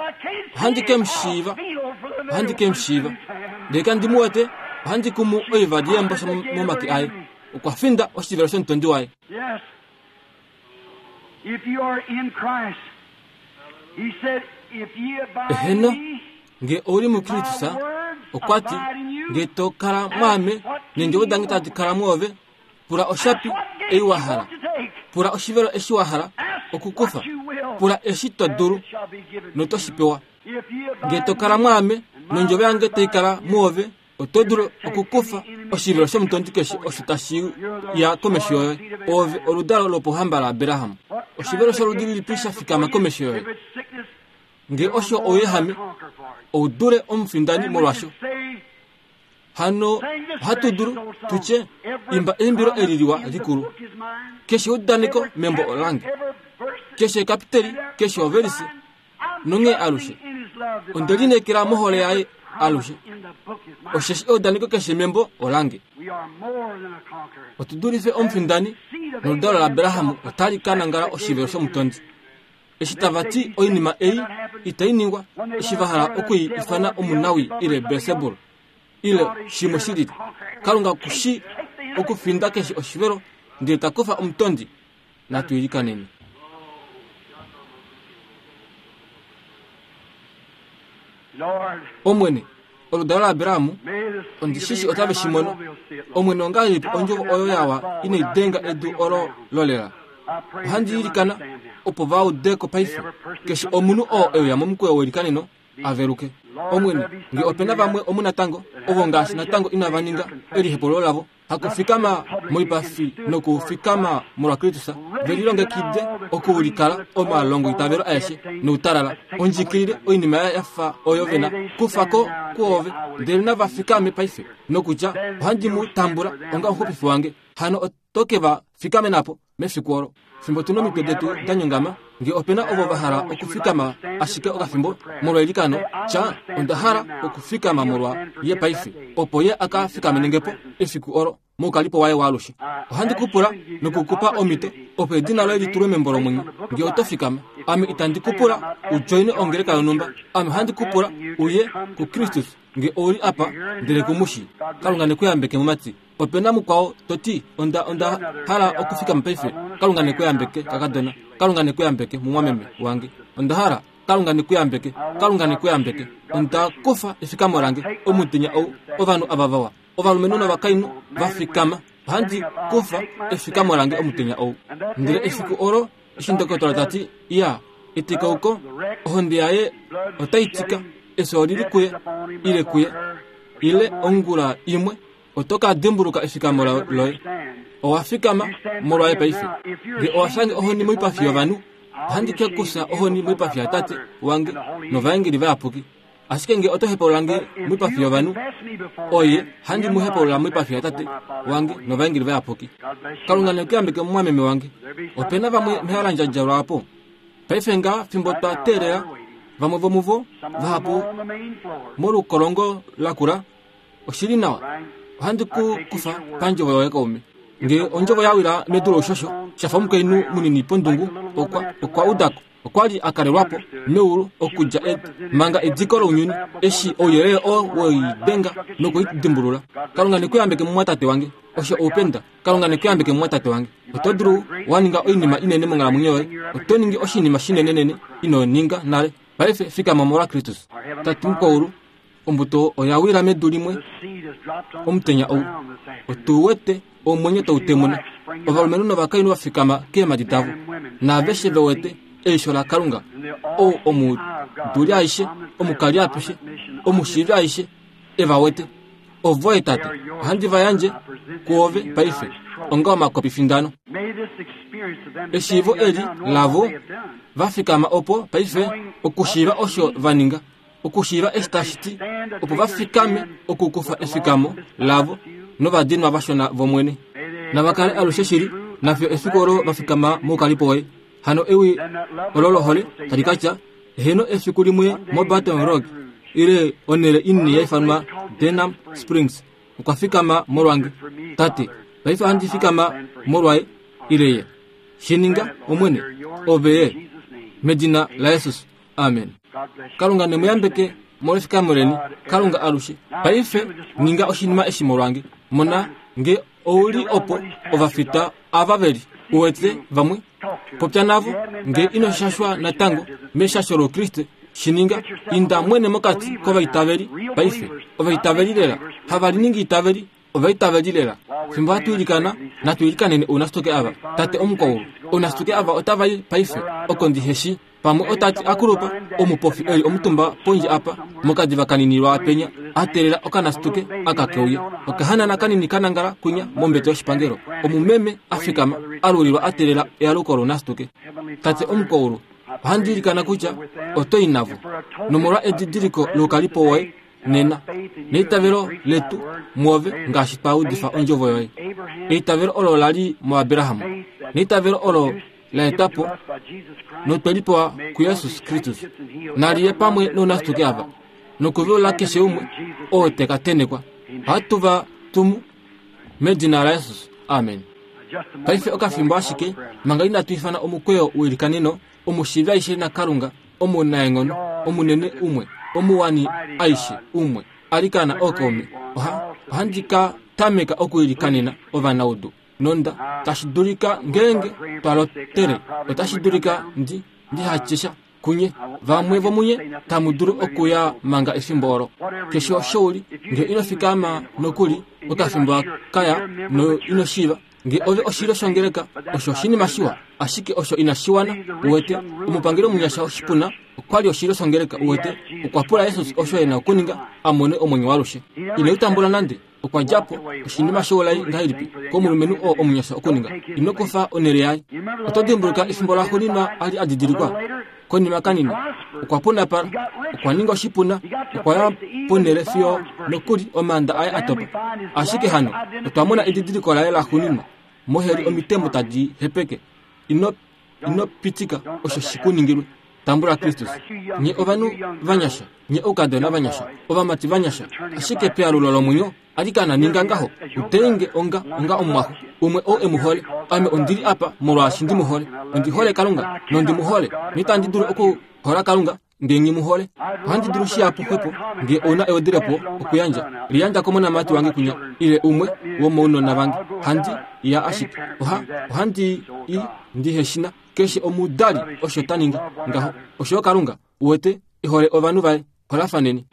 Ohandi ke mushiiva. Ohandi ke mushiiva. Ndele kandi mu wete, ohandi kumu oivadi yembosha momake aye. Okwa finda oshivelo shomutondi waye. Yes. If you are in Christ, he said, if ye abide Eheno, in me, nge ouli muKristus, okwati, nge to kala mwaame, neendjovo dange tadi kala mwoove, pula oshapi ei wa hala, pula oshivelo eshi wa hala okukufa, pula eshi to dulu noto shi pewa. Nge to kala mwaame, nondjovo yange tai kala mwoove, oto dulu okukufa oshivelo shomutondi keshe osho tashi ya komesho yoye. Ove oludalo lopohamba laAbraham. Oshivelo sholudi lilipi sha fikama komesho yoye? Nge osho ouyehame, ou dule omufindani molwasho. Hano ohatu dulu tutye, imba eimbilo eli liwa likulu. Keshe eudaneko membo olange, keshe ekapiteli, keshe overisi, nonghee alushe. Onde lineekela mohole yaye alushe. Osheshi eudaneko keshe membo olange. Otu dulife omufindani, noludalo laAbraham otali ka nangala oshivelo shomutondi. Eshi tava ti oinima ei itai ningwa, eshi va hala okui ifana omunawi ile Beelsebul, ile shimwe shi lili. Kalunga kushi okufinda keshe oshivelo, ndele ta kufa omutondi. Natu ilikaneni. Lord, Omwene, oludalo laAbraham, may the seed ondi of shishi otave Abraham, shi I mono. know they'll see it, Lord. Omwene, ongahelipi ondjovo oyo yawa inai denga edu olo lolela? I pray that Ohandi they'll ilikana understand now. opo va udeko paife. Keshe omunhu oo euya momukweyo welikaneno aveluke. Omwene, nge opena vamwe omu natango, ovo ngaashi natango inava ninga elihepolo lavo, hakufikama moipafi nokufikama molwa Kristus, ve lilongekide okuulikala omalongo itavelo aeshe noutalala, ondjikilile oinima ya fa oyo vena kufa ko kuove, ndele nava fikame paife nokutya ohandi mu tambula onga omuxupifi wange. Hano oto ke va fikame napo mefiku olo. Fimbo tuna omitwe detu da nyongama, nge opena ovo va hala okufikama ashike okafimbo molwa eilikano, tya onda hala okufikama molwa ye paife, opo ye aka fikamenenge po efiku olo moukalipo waye waalushe. Ohandi kupula nokukupa omhito opo edina loye litulwe membo lomwenyo. Nge oto fikama, ame itandi kupula ujoine ongeleka yonhumba, ame ohandi kupula uye kuKristus nge ouli apa ndele kumushi. Kalunga nekuyambeke mumati. Opena mukwao toti onda onda hala okufikama paife. Kalunga nekuyambeke kakadona. Kalunga nekuyambeke mumwameme wange. Onda hala Kalunga nekuyambeke. Kalunga nekuyambeke. Onda kufa efikamo lange omutenya ou ovanhu ava vawa. Ovalumenhu novakainhu va fikama. Ohandi kufa efikamo lange omutenya ou. Ndele efiku olo eshi ndokotola tati iya etikauko ohonde yaye otai tika, efyo olili kuye ile kuye ile ongula imwe oto ka dimbuluka efikamo loye. Owa fikama molwaye paife. Nge owa shange ohoni moipafi yovanhu, ohandi ke kusa ohoni moipafi yatate wange novaengeli vayapuki. Ashike nge oto hepolola nge moipafi yovanhu, oye handi mu hepolola moipafi yatate wange novaengeli vayapuki. Kalunga nekuyambeke mumwameme wange. Opena vamwe mehalandjadja lwaapo. Paife nga fimbo twa teelela, vamwe vomuvo vahapu molukolongo lakula, oshili nawa. Ohandi ku kufa pandjovo yoye kaume. Nge ondjovo ya wila medu loushosho, Shafa omukainhu munini pondungu okwa okwa udako. Okwa li a kalelwapo meulu okudja manga ediko lounyuni eshi ouyelele oo weidenga nokuidimbulula. Kalunga nekuyambeke mumwatate wange. Osho oupenda. Kalunga nekuyambeke mumwatate wange. Oto dulu waninga oinima inene monghalamwenyo yoye. Oto ningi oshinima shinenenene ino ninga nale. Paife fikama molwa Kristus. Tate mukwaulu, ombuto oya wila medu limwe omutenya ou. Otu wete omwenyo tau temuna. Ovalumenhu novakainhu va fikama keemhadi davo. Naaveshe ve wete eisho laKalunga, ou omuduli aishe, omukali apeshe, omushiivi aishe, e va wete. Ovoye Tate, ohandi va yandje kuove paife onga omakopifindano. Eshiivo eli lavo va fikama opo paife okushiiva osho va ninga, okushiiva eshi tashi ti, opo va fikame okukufa efikamo lavo novadinwa vashona vomwene. Nava kale alushe shili nafyo efiku olo va fikama moukalipo woye. Hano ewi olo lohole tali katya heno efiku limwe mo Baton Rouge ile onhele inini yaifanwa Denham Springs okwa fikama molwange. Tate, paife ohandi fikama molwaye ile ye. Shininga omwene ove ye medina la Jesus. Amen. Kalunga nemuyambeke molwefikamo leni. Kalunga alushe. Paife ninga oshinima eshi molwange. Mona nge ouli opo ovafita ava veli uwete vamwe popya navo nge ino shashwa natango meshasho lokriste. Shininga inda mwene mokati kovaitaveli paife. Ovaitaveli lela havaliningi itaveli, ovaitaveli lela. Fimbo hatu ilikana, natu ilikanene ounasitoke ava. Tate omukwaulu, ounasitoke ava otava i paife oko ndiheshi. Pamwe otati akulupa omupofi eli omutumba pondje apa mokadiva kanini lwaapenya atelela okanasituke aka keuye. Okahanana kanini kanangala kunya mombete yoshipangelo. Omumeme afikama alulilwa atelela ealuko lounasituke. Tate omukwaulu, ohandi ilikana kutya oto i navo nomolwa edidiliko loukalipo woye nena neitavelo letu muove ngaashi twa udifa ondjovo yoye. Eitavelo olo lali muAbraham, neitavelo olo la etapo notwelipewa kuJesus Kristus. Naliye pamwe nounasituke ava nokuveula keshe umwe oo teka tenekwa. Ohatu va tumu medina la Jesus. Amen. Paife okafimbo ashike manga inatu ifana omukweyo welikaneno, omushiivi aishe naKalunga, omunaenghono, omunene umwe, omuwani aishe umwe, alikana ookaume. Oha ohandi ka tameka okuilikanena ovanaudu. Nonda tashi dulika ngeenge twalotele, otashi dulika ndi ndihatyesha kunye. Vamwe vomunye tamu dulu okuya manga efimbo olo. Keshe osho uli, nge ino fikama nokuli okafimbo kaya no ino shiiva nge ove oshilyo shongeleka, osho oshinima shiwa, ashike osho inashiwana. Uwete omupangeli omunyasha oshipuna okwali oshilyo shongeleka. Uwete okwa pula Jesus osho ena okuninga amone omwenyo walushe. Ine utambula nande okwa djapo oshinima shoulai ngahelipi komulumenhu oo omunyasha okuninga. Ino kufa onhele yaye. Oto dimbuluka efimbo laxuuninwa ali adidilikwa konima kanini okwa punapala, okwa ninga oshipuna, okwa ya ponhele fiyo nokuli omaanda aye atopa. Ashike hano otwa mona edidiliko laye laxuuninwa moheli omitembo tadi hepeke. Ino ino pitika osho shikuningilwe. Tambula Kristus. Nye ovanhu vanyasha, nye oukadona vanyasha, ovamati vanyasha, ashike pealulo lomwenyo alikana ninga ngaho. Utenge onga onga omwaxo umwe oo emuhole. Ame ondili apa molwaashi ndimuhole. Ondihole Kalunga nondimuhole. Nitandi dulu okuhola Kalunga nge ngimuhole. Ohandi dulu shihapu xwepo nge ouna eodilepo okuyandja. Liyandja komonamati wange kunya ile umwe womounona vange. Handi ya ashike. Oha ohandi i ndiheshina keshe omudali osho ta ningi ngaho. Osho Kalunga uwete ehole ovanhu vaye. Holafaneni.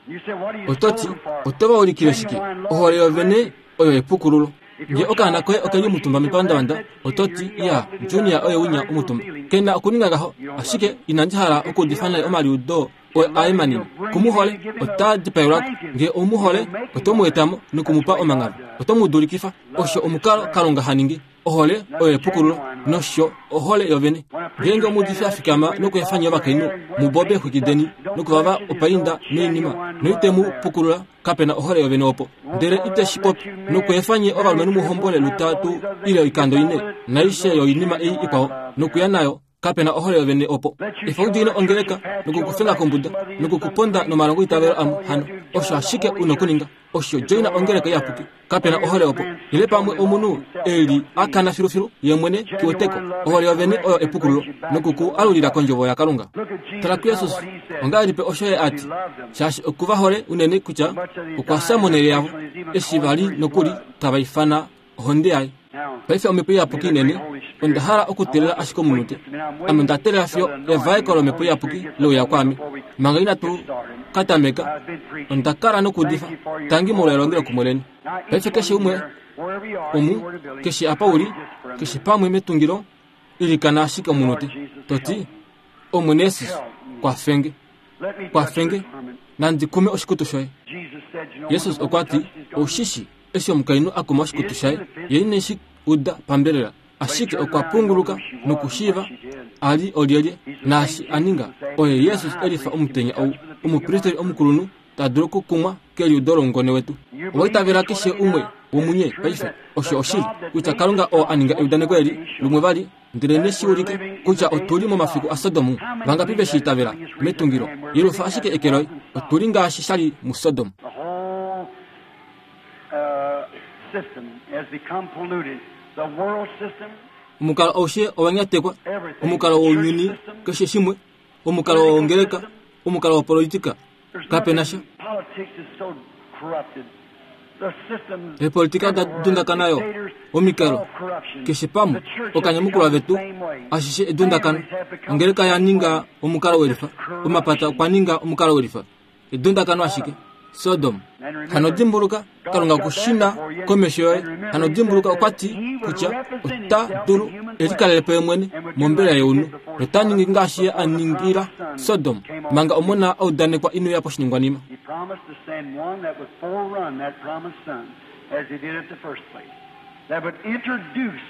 Ototi oto va ulikile shike? Ohole yovene oyo epukululo. Nge okaana koye okeli omutumba mepandavanda, ototi ya Junior oye winya omutumba. Kena okuninga ngaho, ashike inandi hala okuudifa naye omaliudo aye manini. Kumuhole ota dipaelwako. Nge omuhole oto mu etamo nokumupa omangava. Oto mu dulikifa. Osho omukalo Kalunga ha ningi. Ohole oyo epukululo nosho ohole yovene. Ngeenge omuudifi a fikama nokuefanya ovakainhu mubobe xwikideni nokuvava opainda noinima noite mu pukulula, kapena ohole yovene opo. Ndele ite shi popi nokuefanye ovalumenhu muhombole lutatu ile oikando ine naishe yoinima ei ikwao nokuya nayo, kapena ohole yovene opo. Efa udiine ongeleka nokukufenga kombuda nokukuponda nomalongo itavelo amwe hano. Osho ashike una okuninga osho joina ongeleka iyapuki. Kapena ohole opo ile pamwe omunhu eli akana filufilu ye mwene kiweteko. Ohole yovene oyo epukululo nokuku alulila kondjovo yaKalunga. Tala kuJesus ongahelipi osho ye ati, shaashi okuva hole unene kutya okwa fya monhele yavo eshi vali nokuli tava ifana ohonde yaye. Paife omhepo iyapuki inene, onda hala okuteelela ashike omunute. Ame onda teelela fiyo evaeko lomhepo iyapuki leuya kwaame. Manga inatu ka tameka, onda kala nokuudifa tangi molwa elongelokumwe leni. Paife keshe umwe omu, keshe apa uli, keshe pamwe metungilo, ilikana ashike omunute, to ti, Omwene Jesus, kwafenge, kwafenge, nandi kume oshikutu shoye. Jesus okwa ti, Oushishi eshi omukainhu a kuma oshikutu shaye, ye ine shi uda pambelela, ashike okwa punguluka nokushiiva a li olyelye naashi a ninga. Oye Jesus elifa omutenya ou, omupristeri omukulunhu ta dulu okukumwa keliudo loungone wetu. Owa itavela keshe umwe womunye paife, osho oshili, kutya Kalunga oo a ninga eudaneko eli lumwe vali, ndele neshi ulike kutya otu li momafiku aSodom. Vangapi ve shi itavela metungilo? Yelufa ashike eke loye. Otu li ngaashi sha li muSodom. The whole uh, system has become polluted. The world system, Omukalo aushe owa nyatekwa, omukalo wounyuni, keshe shimwe, omukalo wongeleka, omukalo wopolitika, there's kape na sha. nothing. Politics is so corrupted. The systems Eepolitika da everywhere, dundakana yo, dictators, omikalo, all corruption. keshe pamwe, The church has okanyamukulwa become the vetu, same way. ashishe edundakano. Families have become Ongeleka the ya same ninga way. omukalo welifa, omapata okwa ninga omukalo welifa. Edundakano ashike. Sodom. Hano dimbuluka, Kalunga okushina komesho yoye. Hano dimbuluka okwa ti kutya ota dulu elikalele po ye mwene mombela younhu, nota ningi ngaashi ye a ningila Sodom, manga omona a udanekwa ino ya poshiningwanima. He promised to send one that would forerun that promised son, as he did at the first place, that would introduce,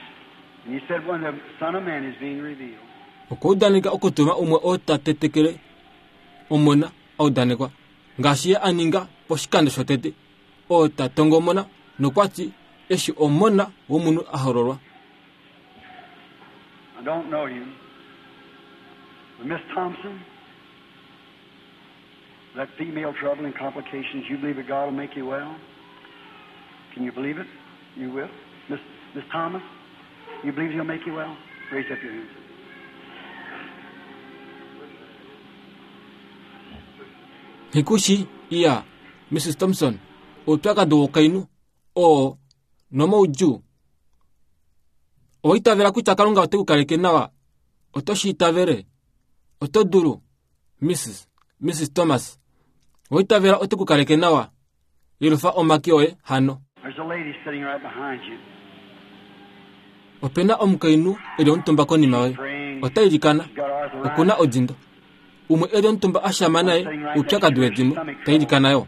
and he said, when the Son of Man is being revealed. Okwa udaneka okutuma umwe oo ta tetekele omona a udanekwa, ngaashi ye a ninga poshikando shotete, oo ta tongomona nokwa ti eshi omona womunhu a hololwa. I don't know you. But Miss Thompson, that female trouble and complications, you believe that God will make you well? Can you believe it? You will. Miss, Miss Thomas, you believe He'll make you well? Raise up your hands. Hikushi iya Missus Thompson, oupyakadi wokainhu oo nomoudjuu. Owa itavela kutya Kalunga ote ku kaleke nawa? Oto shi itavele? Oto dulu, Missus Missus Thomas. Owa itavela ote ku kaleke nawa? Yelufa omake oye hano. There's a lady sitting right behind you. Opena omukainhu eli omutumba konima yoye. Ota ilikana. She's got arthritis. Okuna odindo. Umwe eli omutumba a shama naye oupyakadi wedimo, ta ilikana yo.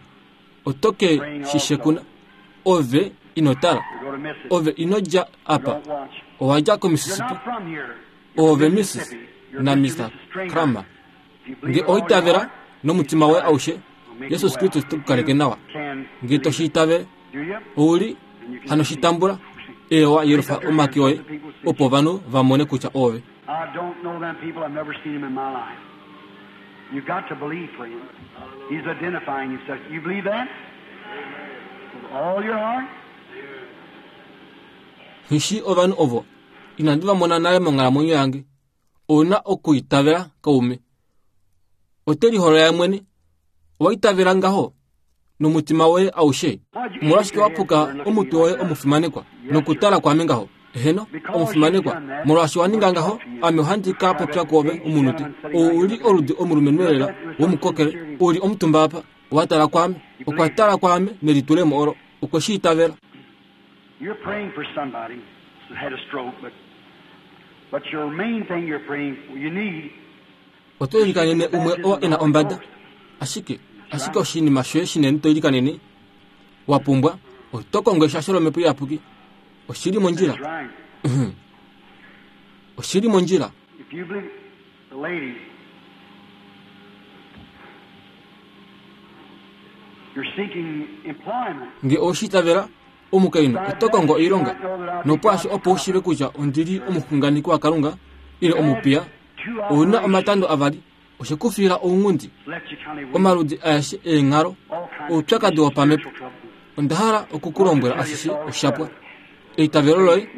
Oto ke shishekuna. Ove ino tala. You're going to miss it. Ove ino dja You apa. don't watch. Owa dja You're koMississippi. not from here. You're Ove from Missus Mississippi. You're na Mister Mister Missus Stringer. Kramer. If you believe Nge with all your oitavela heart, nomutima woye aushe, will make you Jesus well. Kristus te ku kaleke nawa. You can Nge to believe shi it. itavele, Do you? ouli And you can hano see. shitambula, ewa yelufa omake oye, opo ovanhu va mone kutya ove. I don't know them people. I've never seen them in my life. You've got to believe, friend. He's identifying himself. You believe that? With all your heart? Nghishi ovanhu ovo, inandi va mona nale monghalamwenyo yange. Ouna okuitavela kaume. Ote liholola ye mwene. Owa itavela ngaho nomutima woye aushe. Omolwashike wa puka omutwe woye omufimanekwa nokutala kwame ngaho? Eheno, omufimanekwa, molwaashi wa ninga ngaho, ame ohandi ka popya kwoove omunute. Ou uli oludi omulumenhu elela womukokele, uli omutumba apa, wa tala kwame, okwa tala kwame nelitulemo olo, okwe shi itavela. You're praying for somebody who had a stroke, but, but your main thing you're praying for, you need Oto ilikanene umwe oo e na ombada. Ashike, ashike oshinima shoye shinene to ilikanene wa pumbwa, oto kongo eshasho lomhepo iyapuki. Oshili mondjila. That's right. Mhm. Oshili mondjila. If you believe the lady, you're seeking employment. Nge oshi itavela, omukainhu oto kongo oilonga. Nopwaashi opo u shiive kutya ondi li omuxunganeki waKalunga ile omupiya, ouna omatando avali. Oshe ku fiila ounghundi, omaludi aeshe eenghalo, oupyakadi wopamhepo. Onda hala okukulombwela ashishe oshapwa. Eitavelo loye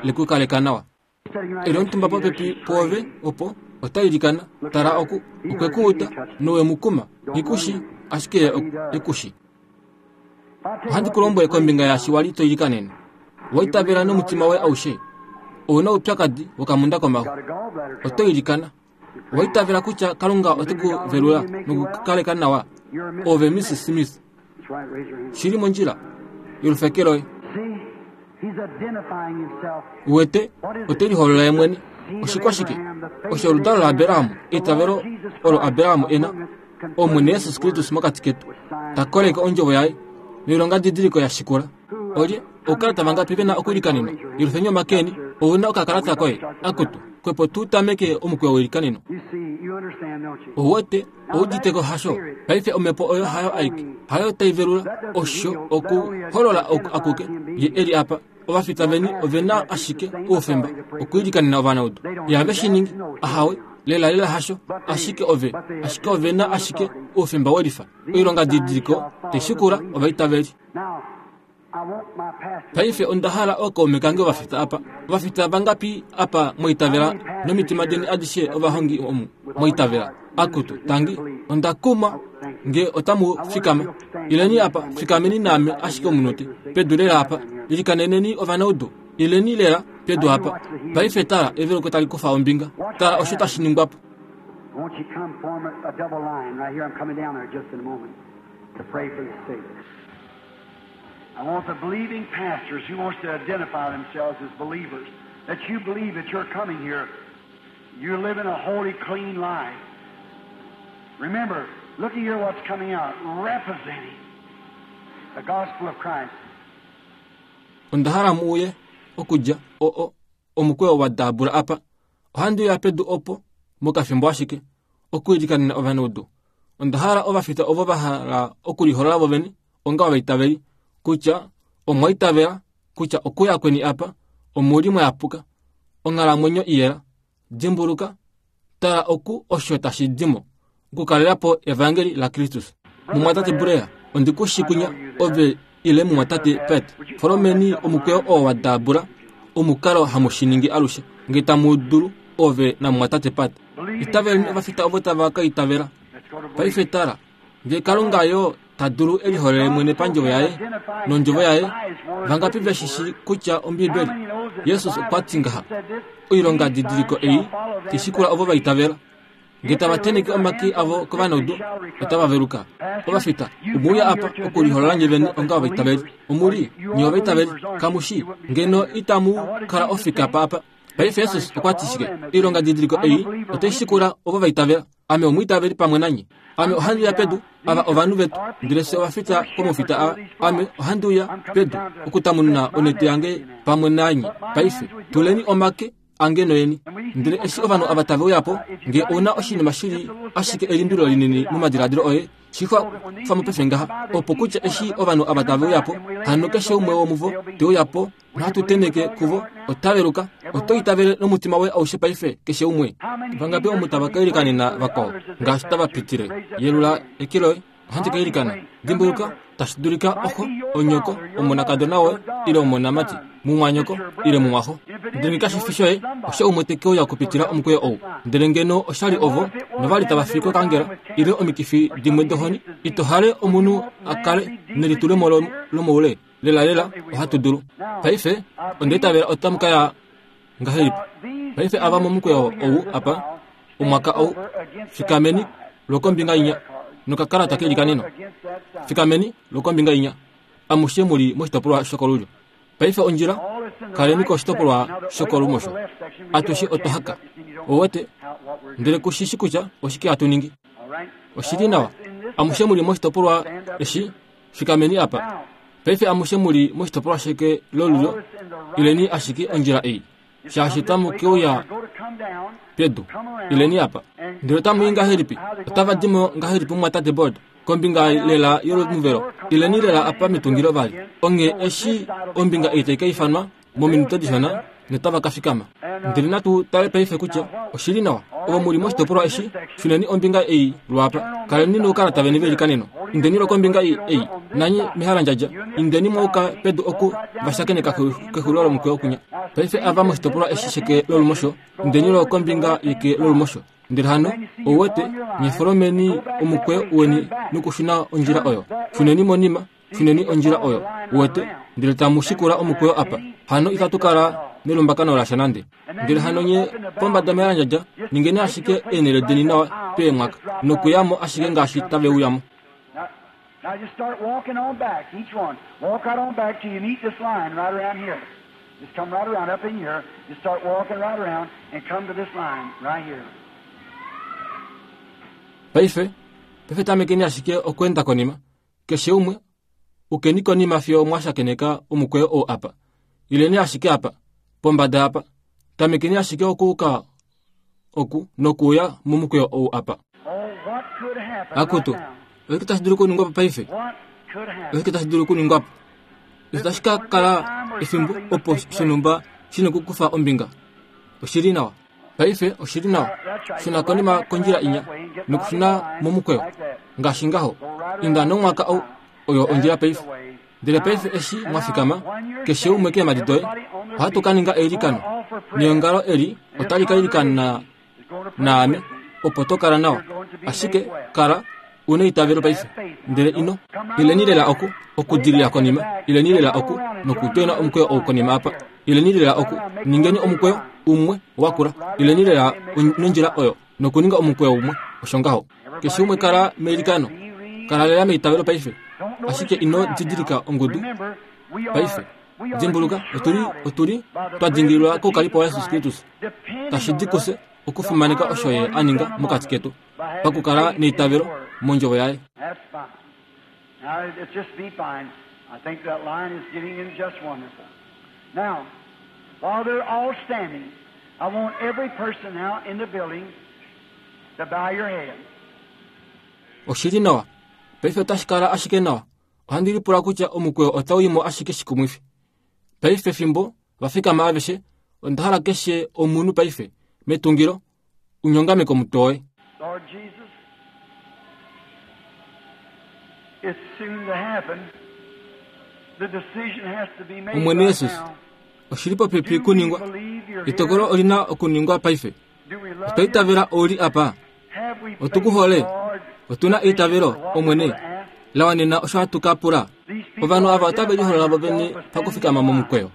lekukaleka nawa. Eli omutumba popepi pwoove opo ota ilikana. Tala oku, okwe ku uda nowe mu kuma. Nghikushi, ashike ye ekushi. Ohandi ku lombwele kombinga yaashi wali to ilikanene. Owa itavela nomutima woye aushe. Ouna oupyakadi wokamunda komaxu. Oto ilikana. Owa itavela kutya Kalunga ote ku velula nokukukaleka nawa. Ove Missus Smith. Shili mondjila. Yolufeke loye. Uwete, ote liholola ye mwene. Oshikwashike? Osho oludalo laAbraham, eitavelo olo Abraham e na, Omwene Jesus Kristus mokati ketu, ta koleke ondjovo yaye noilongadidiliko ya shikula. Olye oukalata vangapi ve na okuilikanenwa? Yelufeni omake eni, ou na okakalata koye. Akutu, kwepo tu tameke omukweyo weilikaneno. Ouwete, ouditeko hasho. Paife omhepo oyo hayo aike, hayo tai velula, osho okuholola akuke ye eli apa. Ovafita veni ove na ashike oufemba okuilikanena ovanaudu. Ihave shi ningi, ahawe, lela lela hasho, ashike ove, ashike ove na ashike oufemba welifa. Oilongadidiliko tai shikula ovaitaveli. Paife onda hala ookaume kange ovafita apa. Ovafita vangapi apa mwaitavela nomitima deni adishe ovahongi omu mwaitavela? Akutu, tangi, onda kumwa nge otamu fikama. Ileni apa, fikameni naame ashike omunute. Pedu lela apa, ilikaneneni ovanaudu. Ileni lela pedu apa. Paife tala eveluko tali kufa ombinga. Tala osho tashi ningwa po. Won't you come form a, a double line right here? I'm coming down there just in a moment to pray for the sick. I want the believing pastors who wants to identify themselves as believers, that you believe that you're coming here, you're living a holy, clean life. Remember, look here what's coming out, representing the gospel of Christ. Onda hala mu uye okudja o o omukweyo wa daabula apa. Ohandi uya pedu opo mokafimbo ashike okuilikanena ovanaudu. Onda hala ovafita ovo va hala okuliholola vovene onga ovaitaveli kutya omwa itavela kutya okuya kweni apa omuli mwayapuka, onghalamwenyo iyela. Dimbuluka, tala oku osho tashi dimo okukalela po evangeli laKristus. Mumwatate Blair, ondi ku shi kunya ove ile mumwatate Pat. Folomeni omukweyo oo wa daabula, omukalo hamu shi ningi alushe nge tamu dulu ove namumwatate Pat. Itaveleni ovafita ovo tava ka itavela. Paife tala, nge Kalunga yo ta dulu e liholole mwene pandjovo yaye nondjovo yaye, vangapi ve shi shii kutya Ombibeli, Jesus okwa ti ngaha, oilongadidiliko ei tai shikula ovo va itavela. Nge tava tenheke omake avo kovanaudu, otava veluka. Ovafita, omwe uya apa okuliholola nye vene onga ovaitaveli. Omuli, nye ovaitaveli, kamu shi, ngeno itamu kala ofika pa apa. Paife Jesus okwa ti shike? Oilongadidiliko ei otai shikula ovo va itavela. Ame omwiitaveli pamwe nanye. Ame ohandi uya pedu, ava ovanhu vetu, ndele fye ovafita komufita ava. Ame ohandi uya pedu okutamununa onete yange pamwe nanye. Paife, tuleni omake ange noyeni. Ndele eshi ovanhu ava tave uya po, nge ou na oshinima shili ashike elimbililo linini momadiladilo oye, shi kufa mo paife ngaha, opo kutya eshi ovanhu ava tave uya po, hano keshe umwe womuvo te uya po nohatu tenheke kuvo, ota veluka. Oto itavele nomutima woye aushe paife, keshe umwe. Vangapi omu tava ka ilikanena vakwao ngaashi tava pitile? Yelula eke loye. Ohandi ka ilikana. Dimbuluka, tashi dulika oxo, onyoko, omonakadona woye ile omonamati, mumwanyoko ile mumwaxo. Ndele nge kashi fi shoye, osho umwe te ke uya okupitila omukweyo ou. Ndele ngeno osha li ovo, novali tava fi kokaangela ile omikifi dimwe dohoni, ito hale omunhu a kale nelitulemo lomoule. Lela lela ohatu dulu. Paife, onda itavela otamu ka ya ngahelipi? Paife ava momukweyo ou apa, omwaka ou, fikameni lwokombinga inya nokakalata keilikaneno. Fikameni lwokombinga inya, amushe mu li moshitopolwa shokolulyo. Paife ondjila, kaleni koshitopolwa shokolumosho. Atushe otwa haka. Ouwete, ndele ku shi shi kutya oshike hatu ningi. Oshili nawa, amushe mu li moshitopolwa eshi, fikameni apa. Paife amushe mu li moshitopolwa sheke lolulyo, ileni ashike ondjila ei, shaashi tamu ke uya pedu. Ileni apa. Ndele otamu i ngahelipi? Otava di mo ngahelipi mumwatate Board? Kombinga lela yolomuvelo. Ileni lela apa metungilo vali. Onghee eshi ombinga ei tai ka ifanwa mominute dishona, notava ka fikama. Ndele natu tale paife kutya oshili nawa. Ovo muli moshitopolwa eshi, shuneni ombinga ei lwapa. Kaleni noukalata veni velikaneno. Indeni lwokombinga ei ei. Nanye mehalandjadja. Indeni mwauka pedu oku vashakeneka kexulilo lomukweyo kunya. Paife ava moshitopolwa eshi sheke lolumosho, indeni lwokombinga yeke lolumosho. Ndele hano ouwete nyefolomeni omukweyo weni nokushuna ondjila oyo. Shuneni monima, shuneni ondjila oyo. Uwete ndele tamu shikula omukweyo apa. Hano itatu kala nelumbakano lasha nande. Ndele hano nye pombada mehalandjadja, ningeni ashike eenhele deni nawa peemwaka nokuyamo ashike ngaashi tave uyamo. Now just start walking on back, each one. Walk right on back till you meet this line right around here. Just come right around up in here. Just start walking right around and come to this line right here. Paife, paife tamekeni ashike okweenda konima. Keshe umwe, ukeni konima fiyo mwashakeneka omukweyo oo apa. Ileni ashike apa, pombada apa. Tamekeni ashike okuuka oku nokuuya momukweyo ou apa. Akutu, oshike tashi dulu okuningwa po paife? Oshike tashi dulu okuningwa po? Otashi ka kala efimbo opo shonhumba shina okukufa ombinga. Oshili nawa. Paife oshili nawa. Shuna konima kondjila inya nokushuna momukweyo. Ngaashi ngaho. Inda nomwaka ou oyo ondjila paife. Ndele paife eshi mwafikama, keshe umwe keemhadi doye, ohatu ka ninga eilikano. Neongalo eli otali ka ilikana naame opo to kala nawa. Ashike kala una eitavelo paife. Ndele ino ileni lela oku okudilila konima, ileni lela oku nokutwena omukweyo ou konima apa. Ileni lela oku ningeni omukweyo umwe wakula. Ileni lela nondjila oyo nokuninga omukweyo umwe. Osho ngaho. Keshe umwe kala meilikano. Kala lela meitavelo paife. Ashike ino didilika ongudu paife. Dimbuluka otuli otuli twa dingililwa koukalipo wa Jesus Kristus. Tashi di kufye okufimaneka osho ye a ninga mokati ketu pakukala neitavelo mondjovo yaye. That's fine. Now, it just be fine. I think that line is getting in just wonderful. Now, while they're all standing, I want every person now in the building to bow your head. Oshili nawa. Paife otashi kala ashike nawa. Ohandi lipula kutya omukweyo otau imo ashike shikumwifi. Paife fimbo vafikama aveshe, onda hala keshe omunhu paife metungilo unyongame komutwe woye. Lord Jesus, it's soon to happen. The decision has to be made Omwene right Jesus, now. oshili popepi Do we kuningwa. believe you're Etokolo here? olina okuningwa paife. Do we love Otwa you? itavela ouli apa. Have we Otukuhole. faith, Lord, Otuna eitavelo Omwene lawanena osho hatu ka pula. Ovanhu ava otave liholola vo vene pakufikama momukweyo.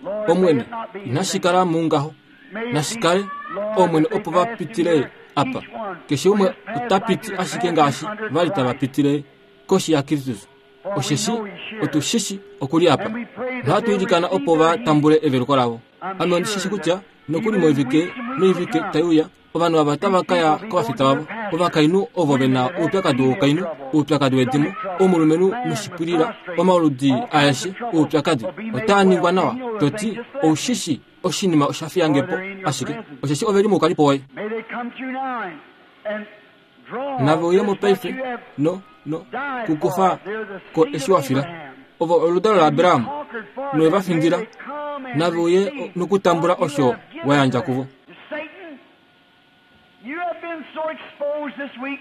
Lord, Omwene, may it not be in inashi vain. kala mungaho. May it be, Nashi kale Lord, Omwene that they opo va pass pitile through here, apa. each one. Keshe umwe Just pass ota like piti you're ashike passing ngaashi under vali tava Christ. pitile koshi yaKristus. For we Osheshi know he's here. otushishi okuli apa. And we pray that Nohatu they'll ilikana receive opo va their healing. tambule eveluko lavo. I'm Ame ondishishi sure kutya that nokuli even in moivike weeks and weeks to noivike come, tai uya, ovanhu ava otava ka ya kovafita vavo, ovakainhu ovo ve na oupyakadi woukainhu, oupyakadi wedimo, omulumenhu noshipwilila, omaludi aeshe oupyakadi otaa ningwa nawa. Toti oushishi oshinima osha fiyange po ashike, osheshi ove li moukalipo woye. May they come through now and, and draw Nave uye mo this what paife you have no no died kukufa for. They're the ko seed eshi of wa fila. Abraham. Ovo oludalo laAbraham Conquered for nowe them. va May findila. they come and Nave uye receive nokutambula what you osho have given wa yandja to kuvo. them. Satan, you have been so exposed this week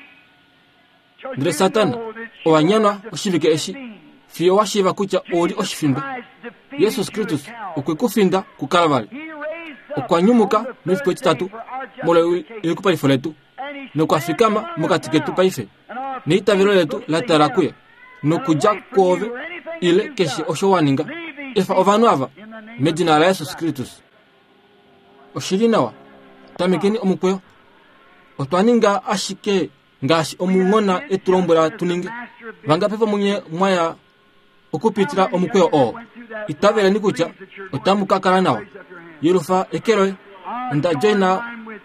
till Ndele you Satana, know that you owa are nyanwa the oshivike eshi defeated being. fiyo wa shiiva kutya ouli Jesus oshifindwa. Christ defeated Jesus you Kristus at Calvary. okwe ku finda kuKalvari. He raised up Okwa nyumuka on the mefiku third day etitatu for our molwa justification. elikupalifo letu And he nokwa stands fikama among us mokati ketu now, paife. and our Neitavelo faith letu looks la to tala him. kuye nokudja And away from kwoove you or anything that ile you've keshe done. osho wa ninga. Leave these Efa ovanhu ava people in the name of medina la Jesus Jesus Christ. Kristus. Oshili nawa. Tamekeni omukweyo. Otwa ninga ashike ngaashi omunghona e tu lombwela tu ninge. Vangapi vomunye mwaya okupitila omukweyo oo. Itaveleni kutya otamu ka kala nawa. Yelufa eke loye. Onda joina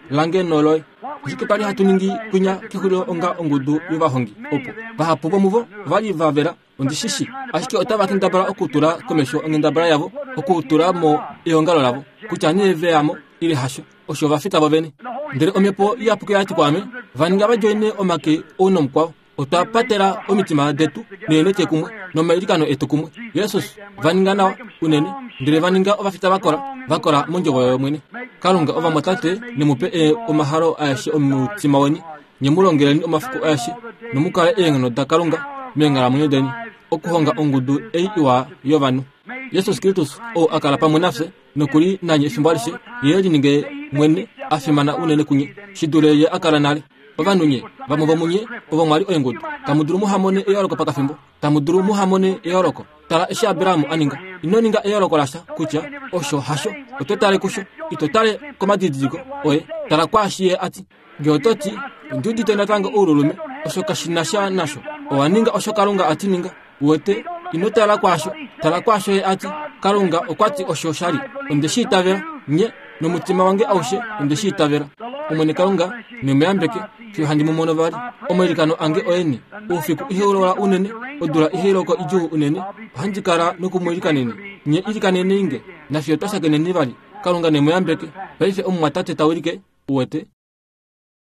lange noloye. Oshike twali hatu ningi kwinya kexulilo onga ongudu yovahongi opo vahapu vomuvo vali va vela ondishishi, ashike otava kendabala okutula komesho onghendabala yavo okutula mo eongalo lavo kutya nee veyamo ile hasho, osho va fita vo vene. Ndele omhepo iyapuki oya ti kwaame, va ninga va joine omake ou nomukwao. Otwa patela omitima detu neemete kumwe nomailikano etu kumwe. Jesus va ninga nawa unene, ndele va ninga ovafita vakola, vakola mondjovo yOmwene. Kalunga ovamwatate ne mu pe omahalo aeshe omutima weni, nye mu longeleni omafiku aeshe nomukale eenghono daKalunga meenghalamwenyo deni, okuhonga ongudu ei iwa yovanhu. Jesus Kristus ou a kala pamwe nafye nokuli nanye efimbo alishe, ye lininge mwene a fimana unene kunye shi dule ye a kala nale. Ovanhu nye vamwe vomunye ovo mwali oingudu, tamu dulu muhamone eyooloko pakafimbo, tamu dulu muhamone eyooloko. Tala eshi Abraham a ninga. Ino ninga eyooloko lasha kutya osho hasho, oto tale kusho, ito tale komadidiliko oye, tala kwaashi ye ati. Ngee oto ti, ondi udite natango oululume, osho kashi na sha nasho. Owa ninga osho Kalunga ati ninga. Uwete, ino tala kwaasho, tala kwaasho ye ati. Kalunga okwa ti osho sha li. Onde shi itavela, nye nomutima wange aushe onde shi itavela. Omwene Kalunga ne mu yambeke fiyo handi mu mono vali. Omailikano ange oeni. Oufiku ihaulola unene, odula ihailoko idjuu unene, ohandi kala nokumuilikaneni. Nye ilikaneni nge, nafiyo twa shakeneni vali. Kalunga ne mu yambeke. Paife omumwatate ta wilike, uwete.